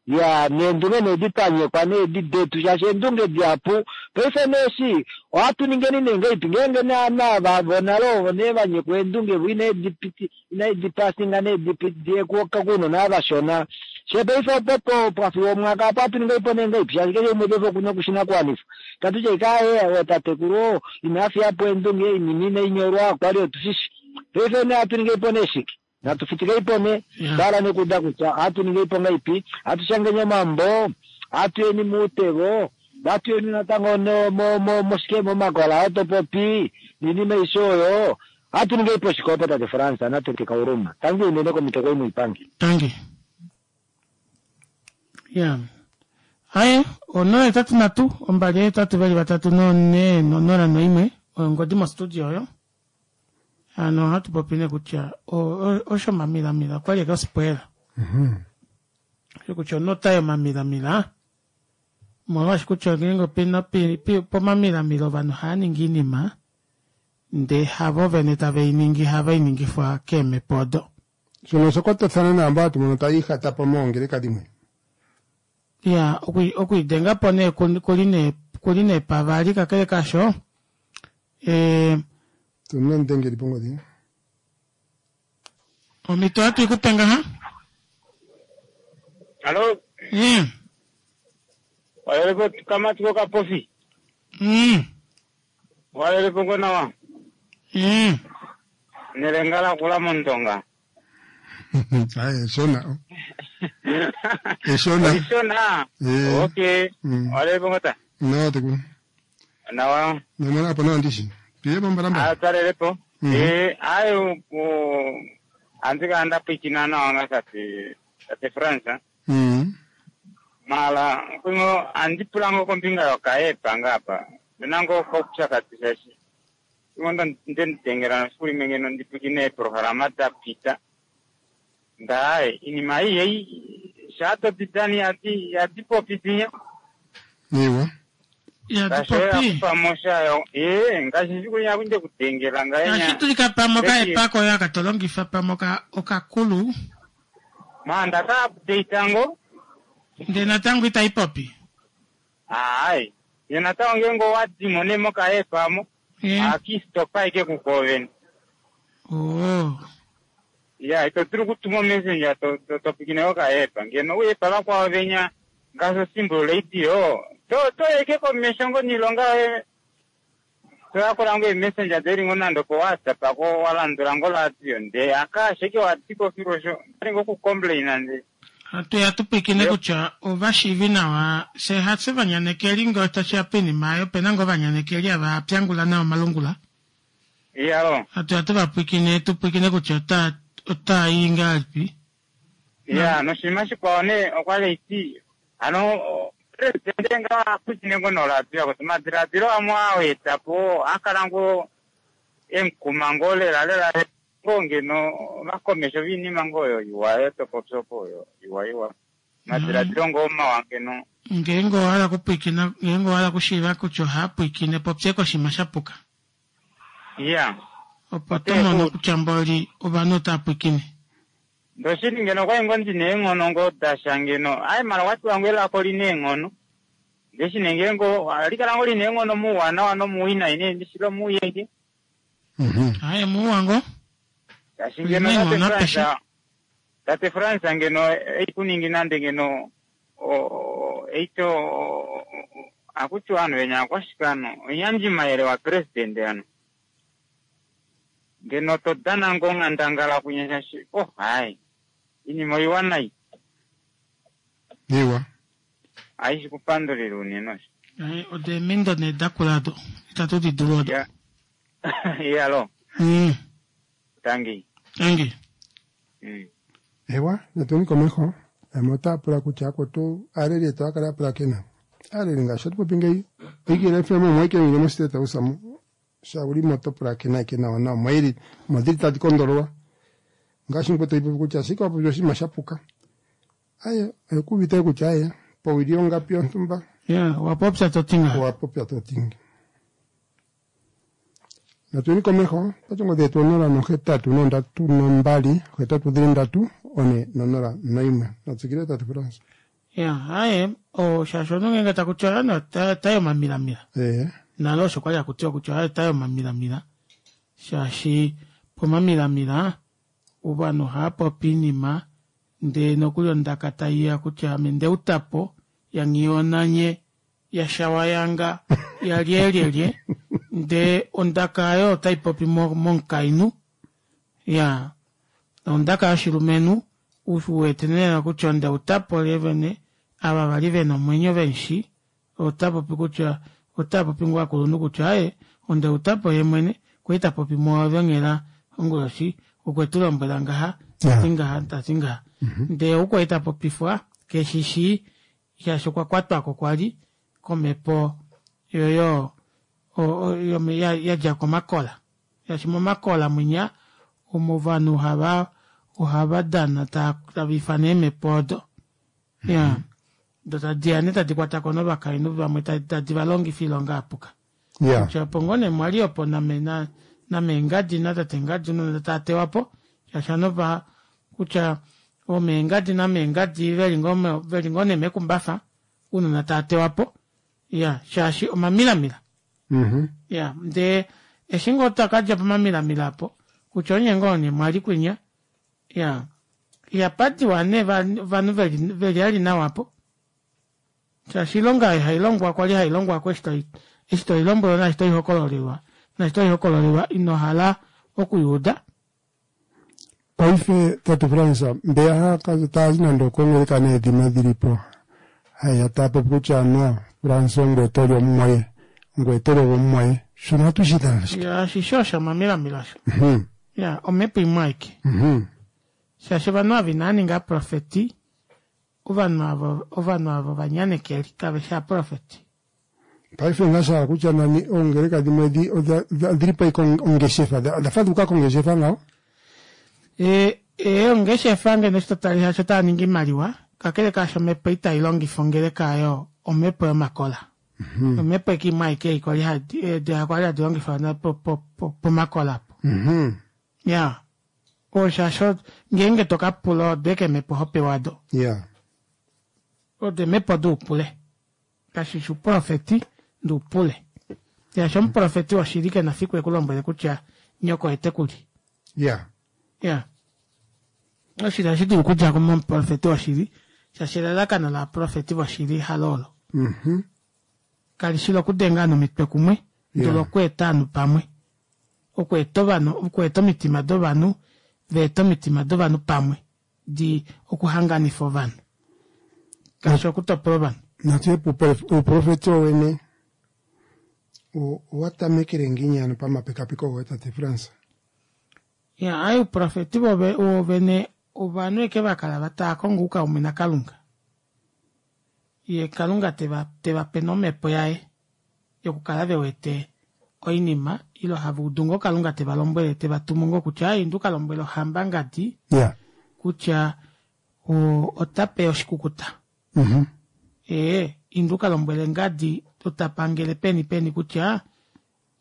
Ya neendunge nee ditanyekwa nee detu shaashi eendunge dihapu paife neeshi ohatu ningeni nee ngaipi ngeenge naana vonale ovo nee vanyekwa eendunge vo inaedipiti inaedipasinga needidiye kuunona vashona she paife opo pwafiwa omwaka apo hatu ningaipo nee ngaipi shaashi keshe umwe paife okuna okushinakuwanifwa tatutya ikaye ootatekulu oo inafiyapo eendunge inima inainyolwa kwali otushishi paife nee hatu ningeipo nee shike natu fitikeipo ne tala nekuda kutya hatu ningeipo ngaipi hatu shangeni omambo hatu yeni muutevo hatu yeni natango moshike momakola otopopi niinima aishe oyo hatu ningeipo shike tate France natete kauruma tangi unene komitoko imwe ipangi tangi ya aye onola etatu natu ombali etatu veli vatatu none nonola noimwe oyo ngodi mostudio oyo ano ohatu popi ne kutya osho mamilamila kwali eke osipwela osho kutya onota yomamilamila molwaashi kutya ngeenge opena pomamilamila ovanhu ohaya ningi iinima ndee havo vene tave iningi hava iningifwa keemhepo odo shono oshakwatathana naamba hatu mono taya ihata po moongeleka dhimwe ya okwiidenga po nee kuli nee kuli nee pavali kakele kasho eh tuna ndengeli pongodhi omito hatu ikupe ngaha alo mm. walelepo kamatiko kapofi mm. walelepo ngo nawa mm. nelengala kula mondonga aye eshona eshona eshona eh. okay mm. walelepo ngota nawa tekulu nawa namona apo nawa ndishi piye pambalamba atalelepo mm -hmm. eh ayo andika ndapwikina nawa nga tate tate France mm. mala kwingo andipulango kombinga yokaepa ngapa nango kopyakatisa shi ingo ndenditengela siku limwe ngeno ndipwikine eprograma dapita ndaye inima iyi ei shatopitani yati yatipopitinya iwa yatipopi pamoshayo ee ngashi siku nyakunde kutengela ngaenya ashitulika pamwe okaepa koyo akatolongifa pamwe okakulu ma ndaka update ngo ndee natango itaipopi hayi ye natango ngengo wadimo nemokaepamo akistopa ike kukoveni oh ya ito tiri kutuma messenger topikine okaepa ngeno uyepa vakwao venya ngaso simple radio to toyeke komesho ngo nilonga toyakola ngo messenger deri ngo nando ko WhatsApp ako walandula ngo radio nde akasheke watiko firosho ngo ku complain nde hatu yatupwikine kutya ovashiivi nawa se hatse vanyanekeli ngo tashiya poinima ayo pena ngo vanyanekeli ava pyangula nawa omalungula iyalo hatu yatu vapwikine tupwikine kutya ota otaayi ngahelipi ya noshinima shikwao ne okwali iti ano presidente nga apwikine ngo noladio kuti madiladilo amwe awetapo akala ngo enkuma ngo lela lela ngo ngeno vakomesho vinima ngoyo iwayo topopyopo oyo iwa iwa madiladilo ngo omawa ngeno ngeenge owahala kupwikina ngeenge owahala kushiiva kutya ohaapwikine popye koshima shapuka ya opo tomono kutya mboli ovanhu otaapwikine ndoshili ngeno kwai ngo ndina eenghono ngo dasha ngeno ayi mala kwatiwa ngo elako lina eenghono ndeshine ngengo alikala ngo lina eenghono muuwanawa nomuwinayi ne ndishilo muuyeke aye muuwa ngo tashi ngeno tate France tate France ngeno eikuningi nande ngeno eito akutiwa anu venya akwashikano onyanjimayele wa president ano ngeno todana ngo ng'andangala kunyasha shi oh hayi inima oiwanayi iwa aishi kupandulila unene osho aye odo eemindo nee dakula ado itatu didulu odo iyalo mm. tangi tangi mm. ewa natuni komeho yamwe otaya pula kutya akwetu aaleli yetu akala yapulakena aaleli ngaashi atupopi ngeyi oikile F M omwaikele mostate house amu shauli mo topulakena ike nawa nawa mwaili modhili tadi kondololwa ngaashi ngwe toipopi kutya ashike wapopi oshinima shapuka aye oyekuuvite kutya aye powili ongapi yontumba ya wapopya totinga wapopya totinga natuni komeho pachongo dhetu onola nohetatu nondatu nombali hetatu dhili ndatu one nonola noimwe natsikile tatu France Ya, aye, o shaashi omunhu ngeenge taku tiwa ane ota omamilamila. Ee. Nale osho kwali haku tiwa kutya oye ota omamilamila. Shaashi pomamilamila ovanhu ohava popi oinima ndee nokuli ondaka taiya kutya ame ndeutapo yanghiyonanye yashawayanga yalyelyelye ndee ondaka ayo otai popi momukainhu ya ondaka yoshilumenhu uwete nee kutya ondeutapo lyevene ava vali vena omwenyo vemushi ota popi kutya ota popi ngoo akulunhu kutya aaye ondeutapo yemwene kwali tapopi mwoove onghela onguloshi okwe tulombwela ngaha tati ngaha tati ngaha ndee ou kwali tapopifwa keshishi shaashi okwa kwatwako kwali komhepo yoyo yadja komakola shaashi momakola mwinya omo ovanhu hava ohava dana tava ifana eemhepo odo ya do tadiya nee tadi kwatako novakainhu vamwe tadi valongifa oilonga yapuka kutya opo ngoo nee mwali opo name nameengadi natate ngadi nonde tatewapo shaashi anova kutya omeengadi nameengadi veli ngoo nee mekumbafa unona tatewapo ya shaashi omamilamila ya ndee eshi ngoo twakadja pomamilamila apo kutya onye ngoo nee mwali kwinya ya ihapadiwa nee ovanhu veli ali nawa apo shaashi oilonga ei hailongwa kwali hailongwako eshi toilombwelwa naashi toihokololelwa naashi toihokololelwa inohala okuyuuda. Paife tate Frans mbeya taazi nande okongeleka needhima dhilipo haya taapopi kutya anuwa Frans ongoye toli omumwoye ngoye toli omumwoye shono ohatu shi ithana shike? Ya shisho osho omamilamila osho ya omhepo imwe aike shaashi ovanhu ava inava ninga aprofeti ovanhu avo ovanhu avo ovanyanekeli kave shi aprofeti. Paife ngasha kutya nani oongeleka dhimwe odhili po ike ongeshefa odha faduka kongeshefa ngaho? E, e ongeshefa ngeno eshi totale shaashi otava ningi oimaliwa kakele kaasho omhepo itai longifa ongeleka oyo omhepo yomakola omhepo eke imwe aike ei kwali kwali hadi longifwa pomakola apo ya oshaashi ngeenge tokapula odo eke eemhepo hopewa do odo eemhepo doupule kashishi uprofeti ndoupule shaashi omuprofeti woshili kena fiku ekulombwele kutya nyoko etekuli ya ya oshili ohashi dulu okudja momuprofeti woshili shaashi elalakano laprofeti voshili halo olo kalishi lokudenga ovanhu omitwe kumwe ndele okweeta ovanhu pamwe okweeta ovanhu okweeta omitima dovanhu veeta omitima dovanhu pamwe di okuhanganifa ovanhu kashi okutopola ovanhu. Natu uuprofeti wowene owa tamekele ngiini ano pamapekapeko goye tate Frans? Ya ayi uuprofeti wovene ovanhu eke vakala tava kongo oukaume naKalunga ye Kalunga teva tevape nomhepo yaye yokukala vewete oinima ilo hava udu ngoo Kalunga teva lombwele teva tumu ngoo kutya ayi indu kalombwele ohamba ngadi kutya otape oshikukuta ee indu kalombwele ngadi otapangele peni peni kutya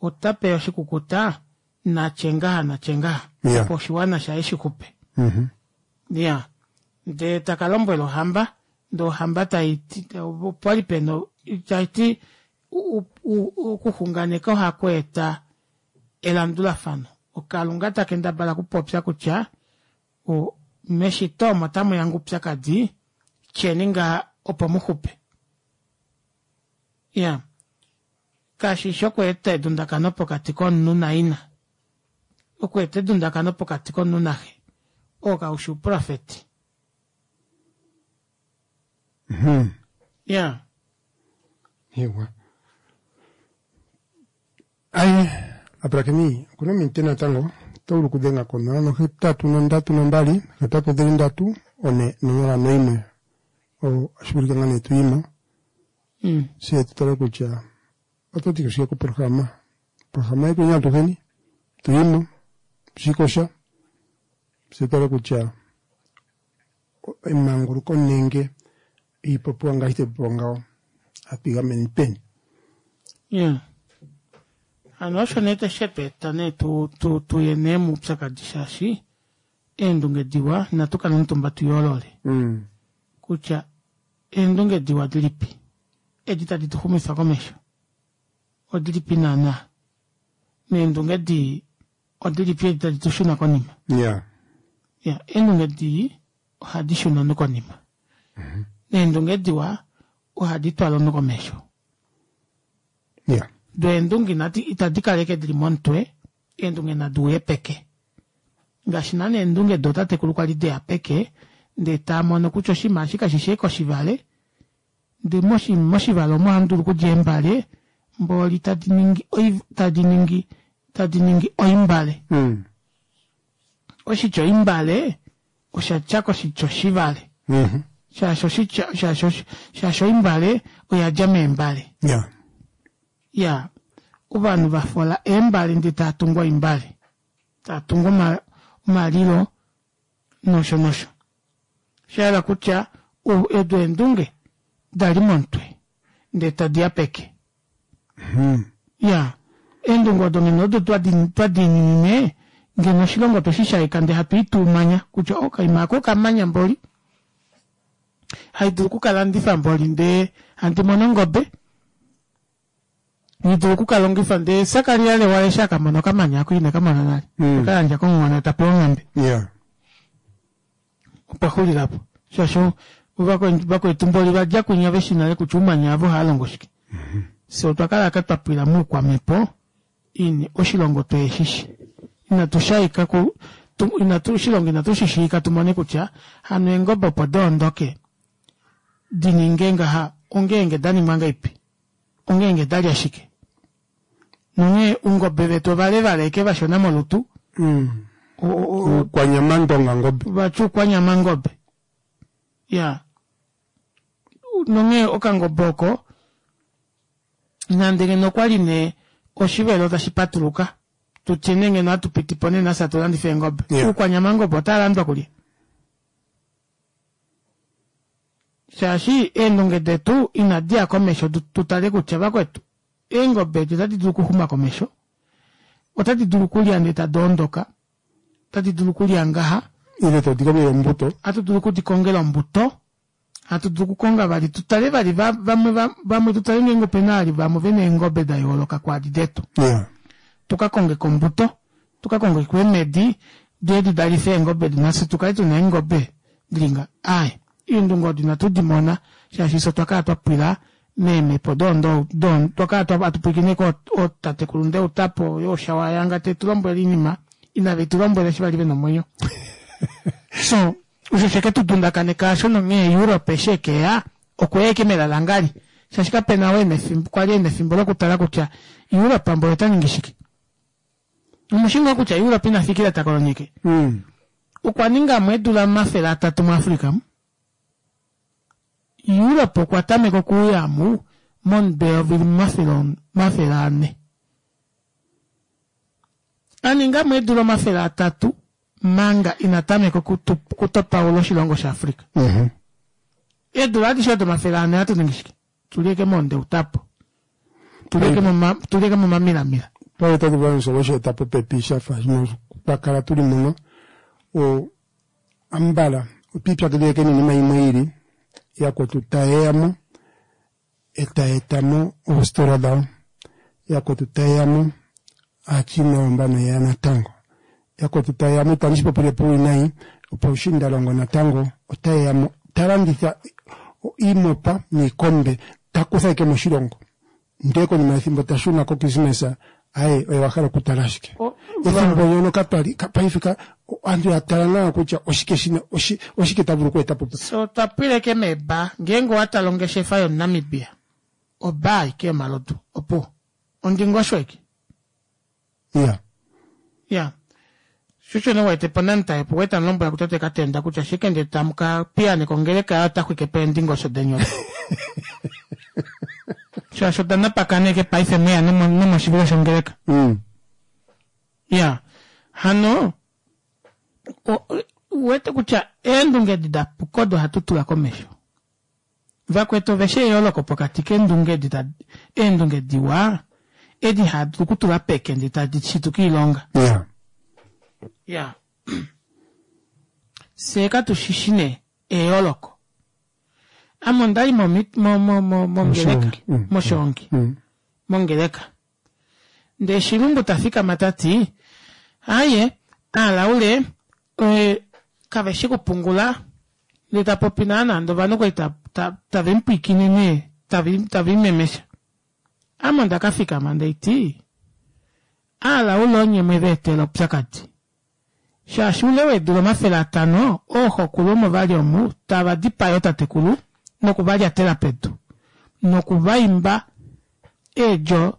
otape oshikukuta natye ngaha natye ngaha opo oshiwana shaye shixupe ya ndee takalombwela ohamba ndee ohamba taiti opwali pena taiti okuxunganeka ohaku eta elandulafano okalunga takendabala okupopya kutya meshito omo tamuya oupyakadi tyeni ngaha opo muxupe ya kashishi okweeta edundakano pokati komunhu naina okweeta edundakano pokati komunhu naxe oo kaushi uprofeti ya ewa aye apulakeni okuna ominute natango oto vulu okudhenga konola nohetatu nondatu nombali hetatu dhili ndatu one nonola noimwe ohashi vulika ngaa nee tuyimo fye tutale kutya oto ti shike koprograma programa yetu atuheni tuyimo shikosha fye tutale kutya emanguluko nenge iipopiwa ngaashi tayi ngaho hatu igameni peni. Ya hano osho nee teshetweeta nee tuye nee moupyakadi shaashi eendunge diwa inatu kala omutumba tuyoolole kutya Eendunge diwa dilipi edi tadi tu xumifa komesho odilipi naana neendunge dii odilipi edi tadi tu shuna konima? Ya. Ya, eendunge dii ohadi shuna omunhu konima, neendunge diwa ohadi twala omunhu komesho. Ya. Do eendunge inadi itadi kaleke dili momutwe, eendunge nadi uye peke ngaashi naana eendunge dootatekulu kwali deya peke ndee tamono kutya oshinima eshi kashishi ashike oshivale ndee moshivale omo ohamu dulu okudja eembale mboli tadi ningi tadi ningi tadi ningi oimbale. Oshitya oimbale osha dja koshitya oshivale, shaashi oshitya shaashi shaashi oimbale oya dja meembale. Ya. Ya, ovanhu vafola eembale ndee tava tungu oimbale, tava tungu omalilo nosho nosho. Shayela kutya edu eendunge dali momutwe ndee tadiya peke. Ya, eendunge odo ngeno odo twadiininine ngeno oshilongo tweshi shaika ndee hatu ituumanya kutya okaima aako okamanya mboli haidulu okukalandifa mboli ndee handi mono ongobe, haidulu okukalongifa ndee Sakaria Lewale eshi akamona okamanya ako ine kamona nale okayandja komuhona tapewa onghambe. Ya. Opwa xulilapo shaashi vakwetu mboli vadja kwinya veshi nale kutya oumanya avo ohaalongo shike. Fyee otwa kala ashike twapwila moukwamhepo ini oshilongo tweeshishi inatu shaika inatu oshilongo inatu shishiika tumone kutya hano eengobe opo doondoke dininge ngaha ongeenge daningwa ngahelipi ongeenge dalya shike nonghee oungobe vetu ovalevale ashike vashona molutu. Oukwanyama ndonga ngobe vati oukwanyama ngobe. Ya, nonghee okangobe oko nande ngeno okwali nee oshivelo tashi patuluka tutye nee ngeno hatu pitipo nena fye hatu landifa eengobe, oukwanyama ngobe otaalandwa kulye? Shaashi eendunge detu inadiya komesho tutale kutya vakwetu eengobe edi otadi dulu okuxuma komesho, otadi dulu okulya ndee tadi ondoka, otadi dulu okulya ngaha ile todi kongele ombuto, ohatu dulu okudikongela ombuto, hatu dulu okukonga vali tutale vali vamwe vamwe tutale ngeenge opena vali vamwe vena eengobe da yooloka kwaadi detu. Ya. Tuka kongeko ombuto, tuka kongeko eemedi diye didalife eengobe edi nafye tukale tuna eengobe dili nga aaye eendunge odo inatu dimona shaashi fyee otwa kala twapwila meemhepo doo twakala hatu pwilikine kootatekulu Ndeutapo yooshawayanga tetulombwele oinima inave tulombwela eshi vali vena omwenyo. So osho sheke tudundakaneka aasho nonghee Europe eshi ekeya okweya ashike melalangali shaashi kapena oo ena efimbo kwali ena efimbo lokutala kutya Europe mboli ota ningi shike. Omushi ngoo kutya Europe ina fikila takolonyeke okwa ningamo eedula omafele atatu muAfrica mu. Europe okwa tameka okuuya mu momutwe weyovi limwe omafele ane. Aningamo eedula omafele atatu manga ina tameka okutopaula oshilongo shaAfrica. Eedula adishe odo omafele ane ohatu ningi shike? Tuli ashike moondeutapo, tuli ashike momamilamila. Paife otatu vulu okusheeta popepi shafa twa kala tuli muno ambala otwiipyakidhila ashike noinima imwe iili yakwetu tayeyamo etayeetamo oositola dhawo, yakwetu tayeyamo aachina oyo yeya natango, yakwetu tayeyamo itandi shipopile puuwinayi opoushiindalongo natango otayeyamo talanditha iimopa niikombe takutha ashike moshilongo ndee konima yethimbo tashuna ko christmas aye oye wahala okutala ashike ethimbo ndyono katwali paife aantu yatala nawa kutya oshike shina oshike ta vulu okweetapo. Fyee otwa pwila ashike meebaa ngeenge owatale ongeshefa yomunamibia obaa ashike yomalodu opuwo ondingosho ashike. Iya. Iya. Sho osho nee uwete poNamtae opo kwali tamu lombwela kutate Katenda kutya ashike ndee tamu ka piyaaneka ongeleka yaye ota xwike po eendingosho deni odo. Shaashi oda napakana ashike paife mweya nomoshivilo shongeleka. Iya. Hano uwete kutya eendunge edi da puka odo hatu tula komesho. Vakwetu oveshi eyooloko pokati keendunge edi eendunge diwa edi hadi dulu okutula peke ndee tadi shituka oilonga. Iya. Iya. Fyee katushishi nee eyooloko. Ame ondali momi- mo- mo- mo- mongeleka moshoongi mongeleka ndee shilumbu tafikama tati aye aalaule eh, kaveshi kupungula ndee tapopi naana ndee ovanhu kwali ta- ta- tavemupwiikine nee tavi- tavimemesha ame ondakafikama ndeiti aalaule onye mweveetela oupyakadi shaashi ule weedula omafele atano ooxokulu omo vali omu tava dipaya ootatekulu nokuvalyatela pedu nokuvaimba eedjo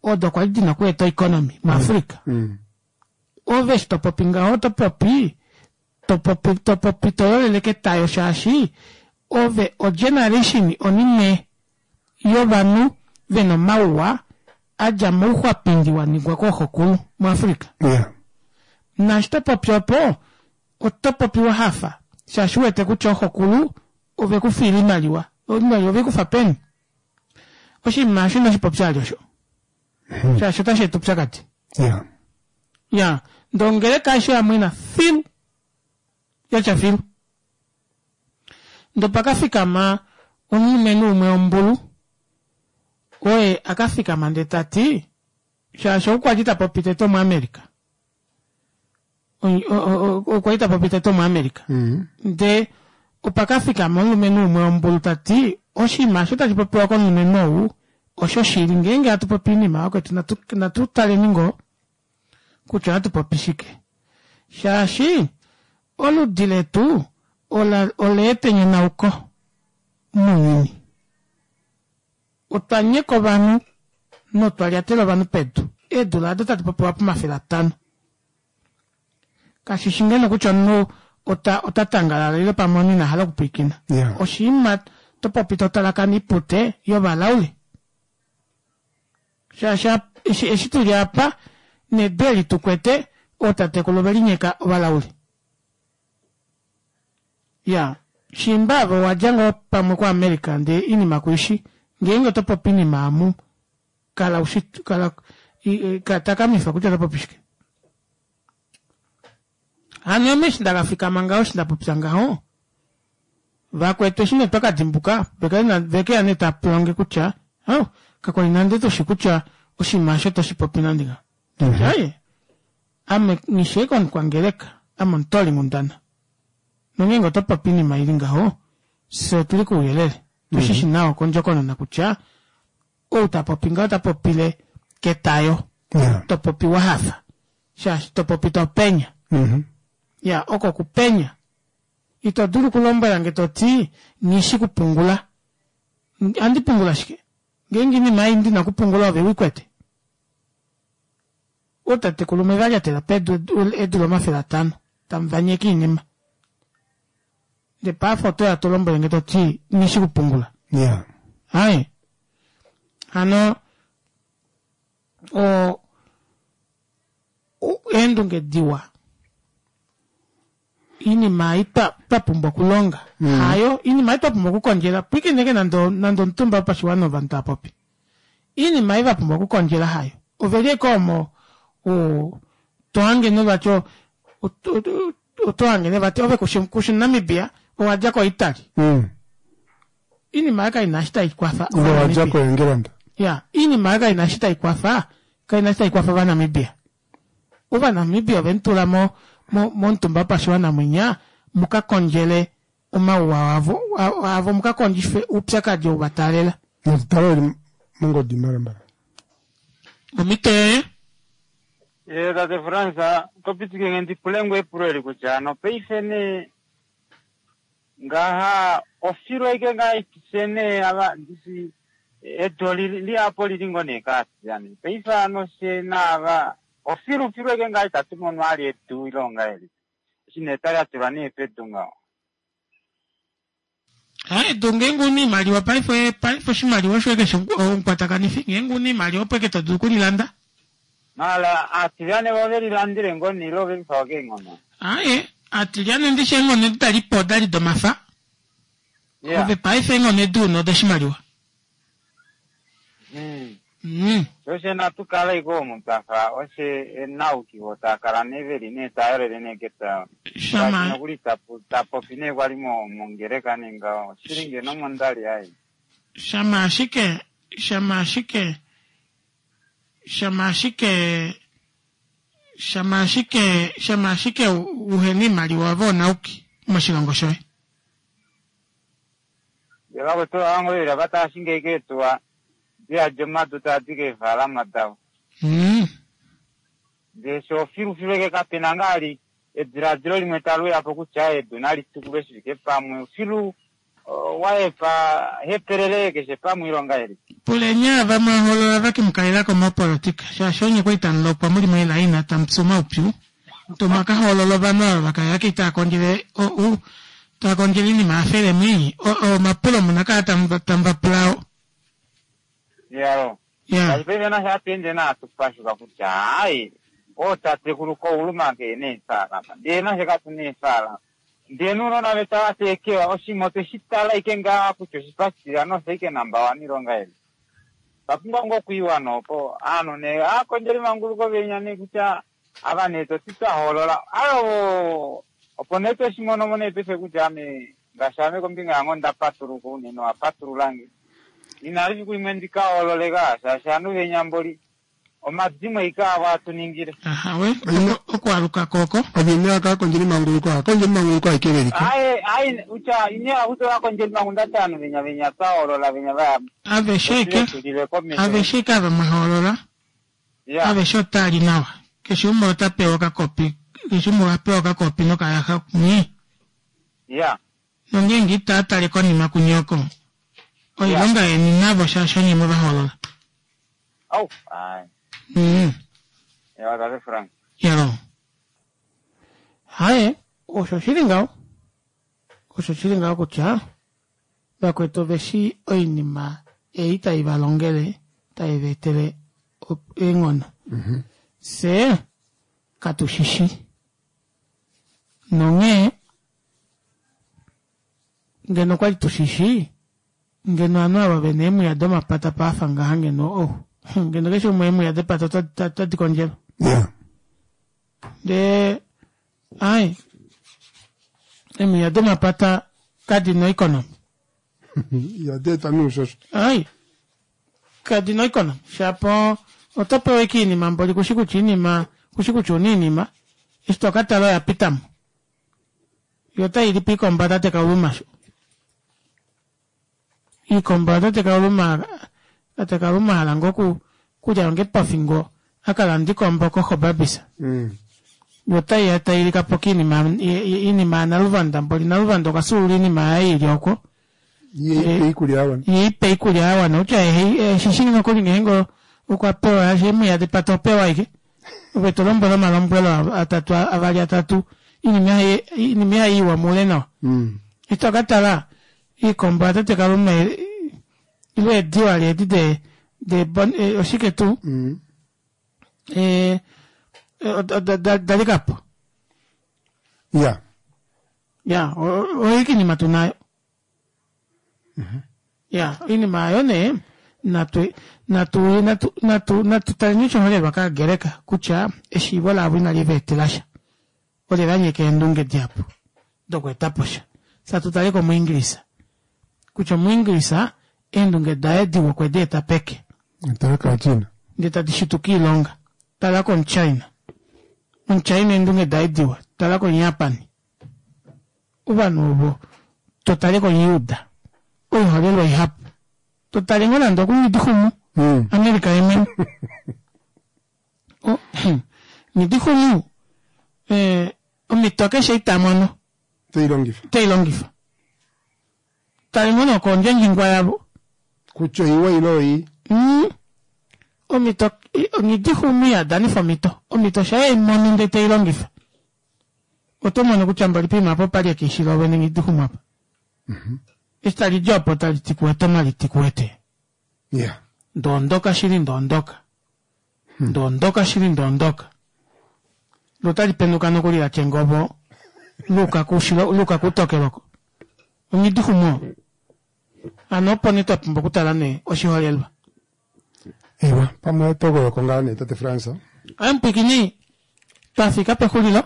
odo kwali dina okweeta oeconomy muafrica ove eshi topopi ngaho otopopi topopi topopi toyolele ketayo shaashi ove ogeneration onine yovanhu vena omauwa adja mouxwapindi waningwa kooxokulu muafrica naashi topopi opo oto popi wahafa shaashi uwete kutya ooxokulu ovekufiila oimaliwa oimaliwa ovekufa peni oshinima osho inashipopya vali osho shaashi otashi eta oupyakadi Yeah. ya ndee ongeleka aishe yamwena filu yatya filu ndee opakafikama omulumenhu umwe ombulu oye akafikama ndee tati shaashi ou kwali tapopi tete omuamerica okwali tapopi tete omuamerica ndee opakafikama omulumenhu umwe ombulu tati oshinima osho tashi popiwa komulumenhu ou osho shili ngeenge hatu popi oinima yakwetu natu, natu taleni ngoo kutya ohatu popi shike shaashi oludi letu ola oleeta enyonauko mounyuni otwa nyeka ovanhu notwa lyatela ovanhu pedu eedula ado tadi popiwa pomafele atano kashishi ngeno kutya omunhu ota, ota tangalala ile pamwe omunhu ina hala okupwiikina Yeah. oshinima topopi totalakana oipute yovalaule shaashi ap- eshi eshi tuli apa nedu eli tukwete ootatekulu ovelinyeka ovalaule ya shimba ove owadja ngoo pamwe kuamerica ndee inima kuishi ngeenge oto popi inima amu kala ushi kala i- i- ka- takamifa kutya oto popi shike hano ame eshi ndakafikama ngaho eshi ndapopya ngaho vakwetu eshi nee twakadimbuka vekeya nee tapulonge kutya oh, kakwali nande tushi kutya oshinima osho toshipopi nande nga aye ame nghisheke omukwangeleka ame omutooli-nghundana nongeenge oto popi oinima ili ngaho fye otuli kouyelele tushishi nawa kondjokonona kutya ou tapopi ngaho ota popile ketayo topopi wahafa shaashi topopi topenya ya oko kupenya ito dulu okulombwelange toti nghishi kupungula andi pungula shike ngeenge inima ei ndina okupungula ove wikwete ootatekulu mwevalyatela pedu eedula omafele atano tamuvanyeke oinima ndee paife otoya tolombwelenge toti nghishi kupungula Yeah. aye hano o o- eendunge diwa iinima ei twa twapumbwa okulonga hayo iinima ei twapumbwa okukondjela pwikineke nande nande omutumba wopashiwana ovanhu taapopi iinima ei vapumbwa okukondjela hayo oveli eke omo o- tohange nevati o- o- otohange nevati ove kushi kushi Namibia owadja ko Italy iinima ei kaina eshi taikwafa Ove wadja koEngelanda. ya iinima ei kaina eshi taikwafa kaina eshi taikwafa ovanamibia ovanamibia ovemutula mo mo- momutumba wopashiwana mwinya mukakondjele omauwa avo avo mukakondjife oupyakadi ou vataalela Natutale eli mongodi mbalambala. omhito yoye ye tate Frans topitike nge ndipule ngoo epulo eli kutya hano paife nee ngaha ofilo aike ngaa ifise nee ava ndisi edu oli- lihapo lili ngoo nee kaasiyani paife hano fye naava ofilufilu aike ngaa itatu mono ali edu ile ongahelipi eshi nee tali nee pedu ngaho hayi edu ngeenge una iimaliwa paife paife oshimaliwa shoye keshe omukwatakanifi ngeenge una iimaliwa opo eke todulu okulilanda mala aatilyane vo velilandile ngoo nee ile ovelifawa keenghono aye atilyane ndishi eenghono edi dalipo odali domafa Yeah. ove paife eenghono edi una odoshimaliwa Mm. mm. Sho Oshe natu kala iko omu twafa oshe enauki vo taa kala nee veli nee taa yolele nee keta. Shama- Nokuli tapu tapopi nee kwali mo mongeleka nee ngaho. Shili ngeno mondali ai. Shama ashike shama ashike shama ashike shama ashike shama ashike uhena iimaliwa voonauki moshilongo shoye. Ndee vakwetu avangoyela vatashinge keetuwa diyadi omadu tadi keefalama davo. Mm. Ndee sho filufilu eke kapena ngaa ediladilo limwe taluyapo kutya edu nali tukulwe shifike pamwe filu o, waepa hepelele keshe pamwe ilonga eli. Puleni vamwe holola vakimukalelako mopolitika shaashi onye kwali tamulopwa muli moelaina tamupyu omaupyu tomwakaholola ovanhu ava vakaya kitaa kondjele o- u taa kondjele iinima yafele mwii omapulo muna kala tamu- tamuvapulao Yalo. Ya. Kashi paife nasha atuende naatupashuka kutya hayi ootatekulu kouluma ke neefalama ndee nashe katu neefalama ndee nuunona vetu avateekewa oshinima otweshi tala ike ngaa kutya oshipashitila nose ike namba one ilonga eli papumbwa ngoo okwiiwa noopo aanhu nee aakondjeli manguluko venya nee kutya ava nee toti twahoolola ayo opo nee tweshimonomo nee paife kutya ame ngaashi ame kombinga yange onda patuluka unene owapatululange inali fiku limwe ndikahoololeka shaashi ovanhu venyamboli omadimo ike avo atuningile ahawe okwaluka koko ovine akakondjeli manguluko akondjeli manguluko aike veliko aye aye utya ine akuti vakondjeli mangu ndati ovanhu venya venya twahoolola venya vaya aveshe ike tulile komesho aveshe ike ava mwahoolola Ya. aveshe otali nawa keshe umwe ota pewa okakopi keshe umwe oha pewa okakopi nokayaxa mwii ya nongeenge itaa tale konima kunyoko oilonga yeni navo shaashi onye mwevahoolola au aye mm. ya tate Frank yalo haye osho shili ngaho osho shili ngaho kutya vakwetu oveshi oinima ei tai valongele tai vaetele op- eenghono fye katu shishi nonghee ngeno okwali tushishi ngeno ovanhu ava vena eemwiya domapata paafa ngaha ngeno oh ngeno keshe umwe eemwiya depata ota- otadi kondjelwa ndee ai eemwiya domapata kadina oikonomi yadeetwa nuushosho ai kadina oikonomi shapo oto pewa ike iinima mboli kushi kutya iinima kushi kutya una iinima eshi tokatala oya pitamo yo otayi lipo iikomba tate kauluma sho iikomba tate kauluma tate kauluma hala ngo ku kulya onge pofingo akalanda ikombo kohobabisa yo otayi tayi likapo kiinima iinima yanaluvanda mboli naluvanda okwa sulula iinima yaye ili oko yeipe iikulya yawana yeipe iikulya yawana kutya eshishi nokuli ngeenge okwa pewa emwiya depata opewa ike ove to lombwele omalombwelo atatu avali atatu iinima yaye- iinima yaye iwa muule nawa eshi tokatala iikombo yatate kaluma ile eediwa leedi de de bon- eh, oshike tuu Eh, eh, da- da- dalikapo ya ya oyo iinima tunayo ya iinima ayo nee natu natu natu natu natu taleni oshiholelwa kaagereka kutya eshiivo lavo inali va etela sha ole va nyeka eendunge dihapu dokweetapo sha satu tale komuingilisa kutya omuingilisa eendunge daye diwa okwe di eta peke tala kaachina ndee tadi shituka iilonga tala komuchina omuchina eendunge daye diwa tala komujapan ovanhu ovo totale komuyuda oiholelwa ihapu totale ngoo nande okumidixumu america yemwene O- nidixumu eh, omito keshe itamono teilongifa teilongifa tale ngoo nokondjendjingwa yavo kutya oiwa ile oi Mm. omito nidixumu yadanifa omito omito shaye imono ndee teilongifa oto mono kutya mboli poima apo pali ekiishila ovene nidixumu apa eshi tali di opo tali ti kuwete omali ti kuwete ya ndoondoka shili ndoondoka ndoondoka shili ndoondoka lo tali penduka nokuli latya engobo luuka kushilo luuka kutokeloko ongidixumu hano opo nee twa pumbwa okutala nee oshiholelwa Ewa, pamwe togoyoko ngaa nee tate Frans. Amupwikini twafika pexulilo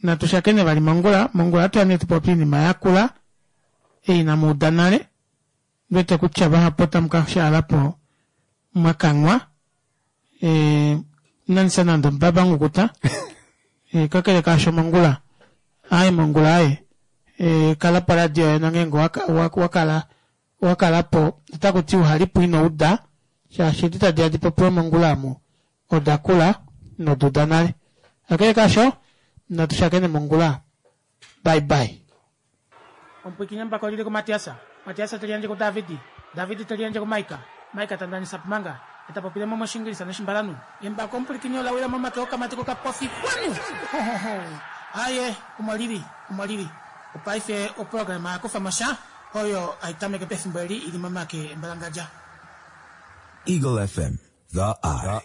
natu shakene vali mongula mongula atuya nee tupopi oinima yakula ei inamu uda nale ndiwete kutya vahapu otamu kashaalapo mwakanghwa eh, inanisa nande omubaba nghukuta eh, kakele kaasho mongula aye mongula aye eh, kala poradio yoye nongeenge waka- wa- wakala wakalapo otakuti uhalipo ino uda shaashi edi tadi ya dipopiwe mongula amu oda kula noduda nale kakele kaasho natu shakene mongula bye bye omupwikini mbako lili kumatiasa matiasa teliandje ku davidi davidi teliandje ku maika maika tandanisa pumanga etapopile mo moshingilisa noshimbalanu embako omupulikini olawila momake okamati kokapofi kwanu Hohoho. aye omo lili omo lili opaife oprograma yakufa mosha oyo aitameke pefimbo eli ili momake embalangadja Eagle F M, the eye.